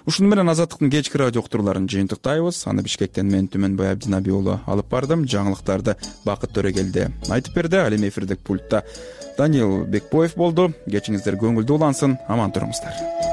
Ушуну менен Азаттыктын кечки радио уктурууларын жыйынтыктайбыз. Аны Бишкектен мен Түмөнбай Абдинаби уулу алып бардым. Жаңылыктарды Бакыт Төрөгелди айтып берди. Ал эми эфирдик пультта Даниил Бекбоев болду. Кечиңиздер көңүлдүү улансын. Аман туруңуздар.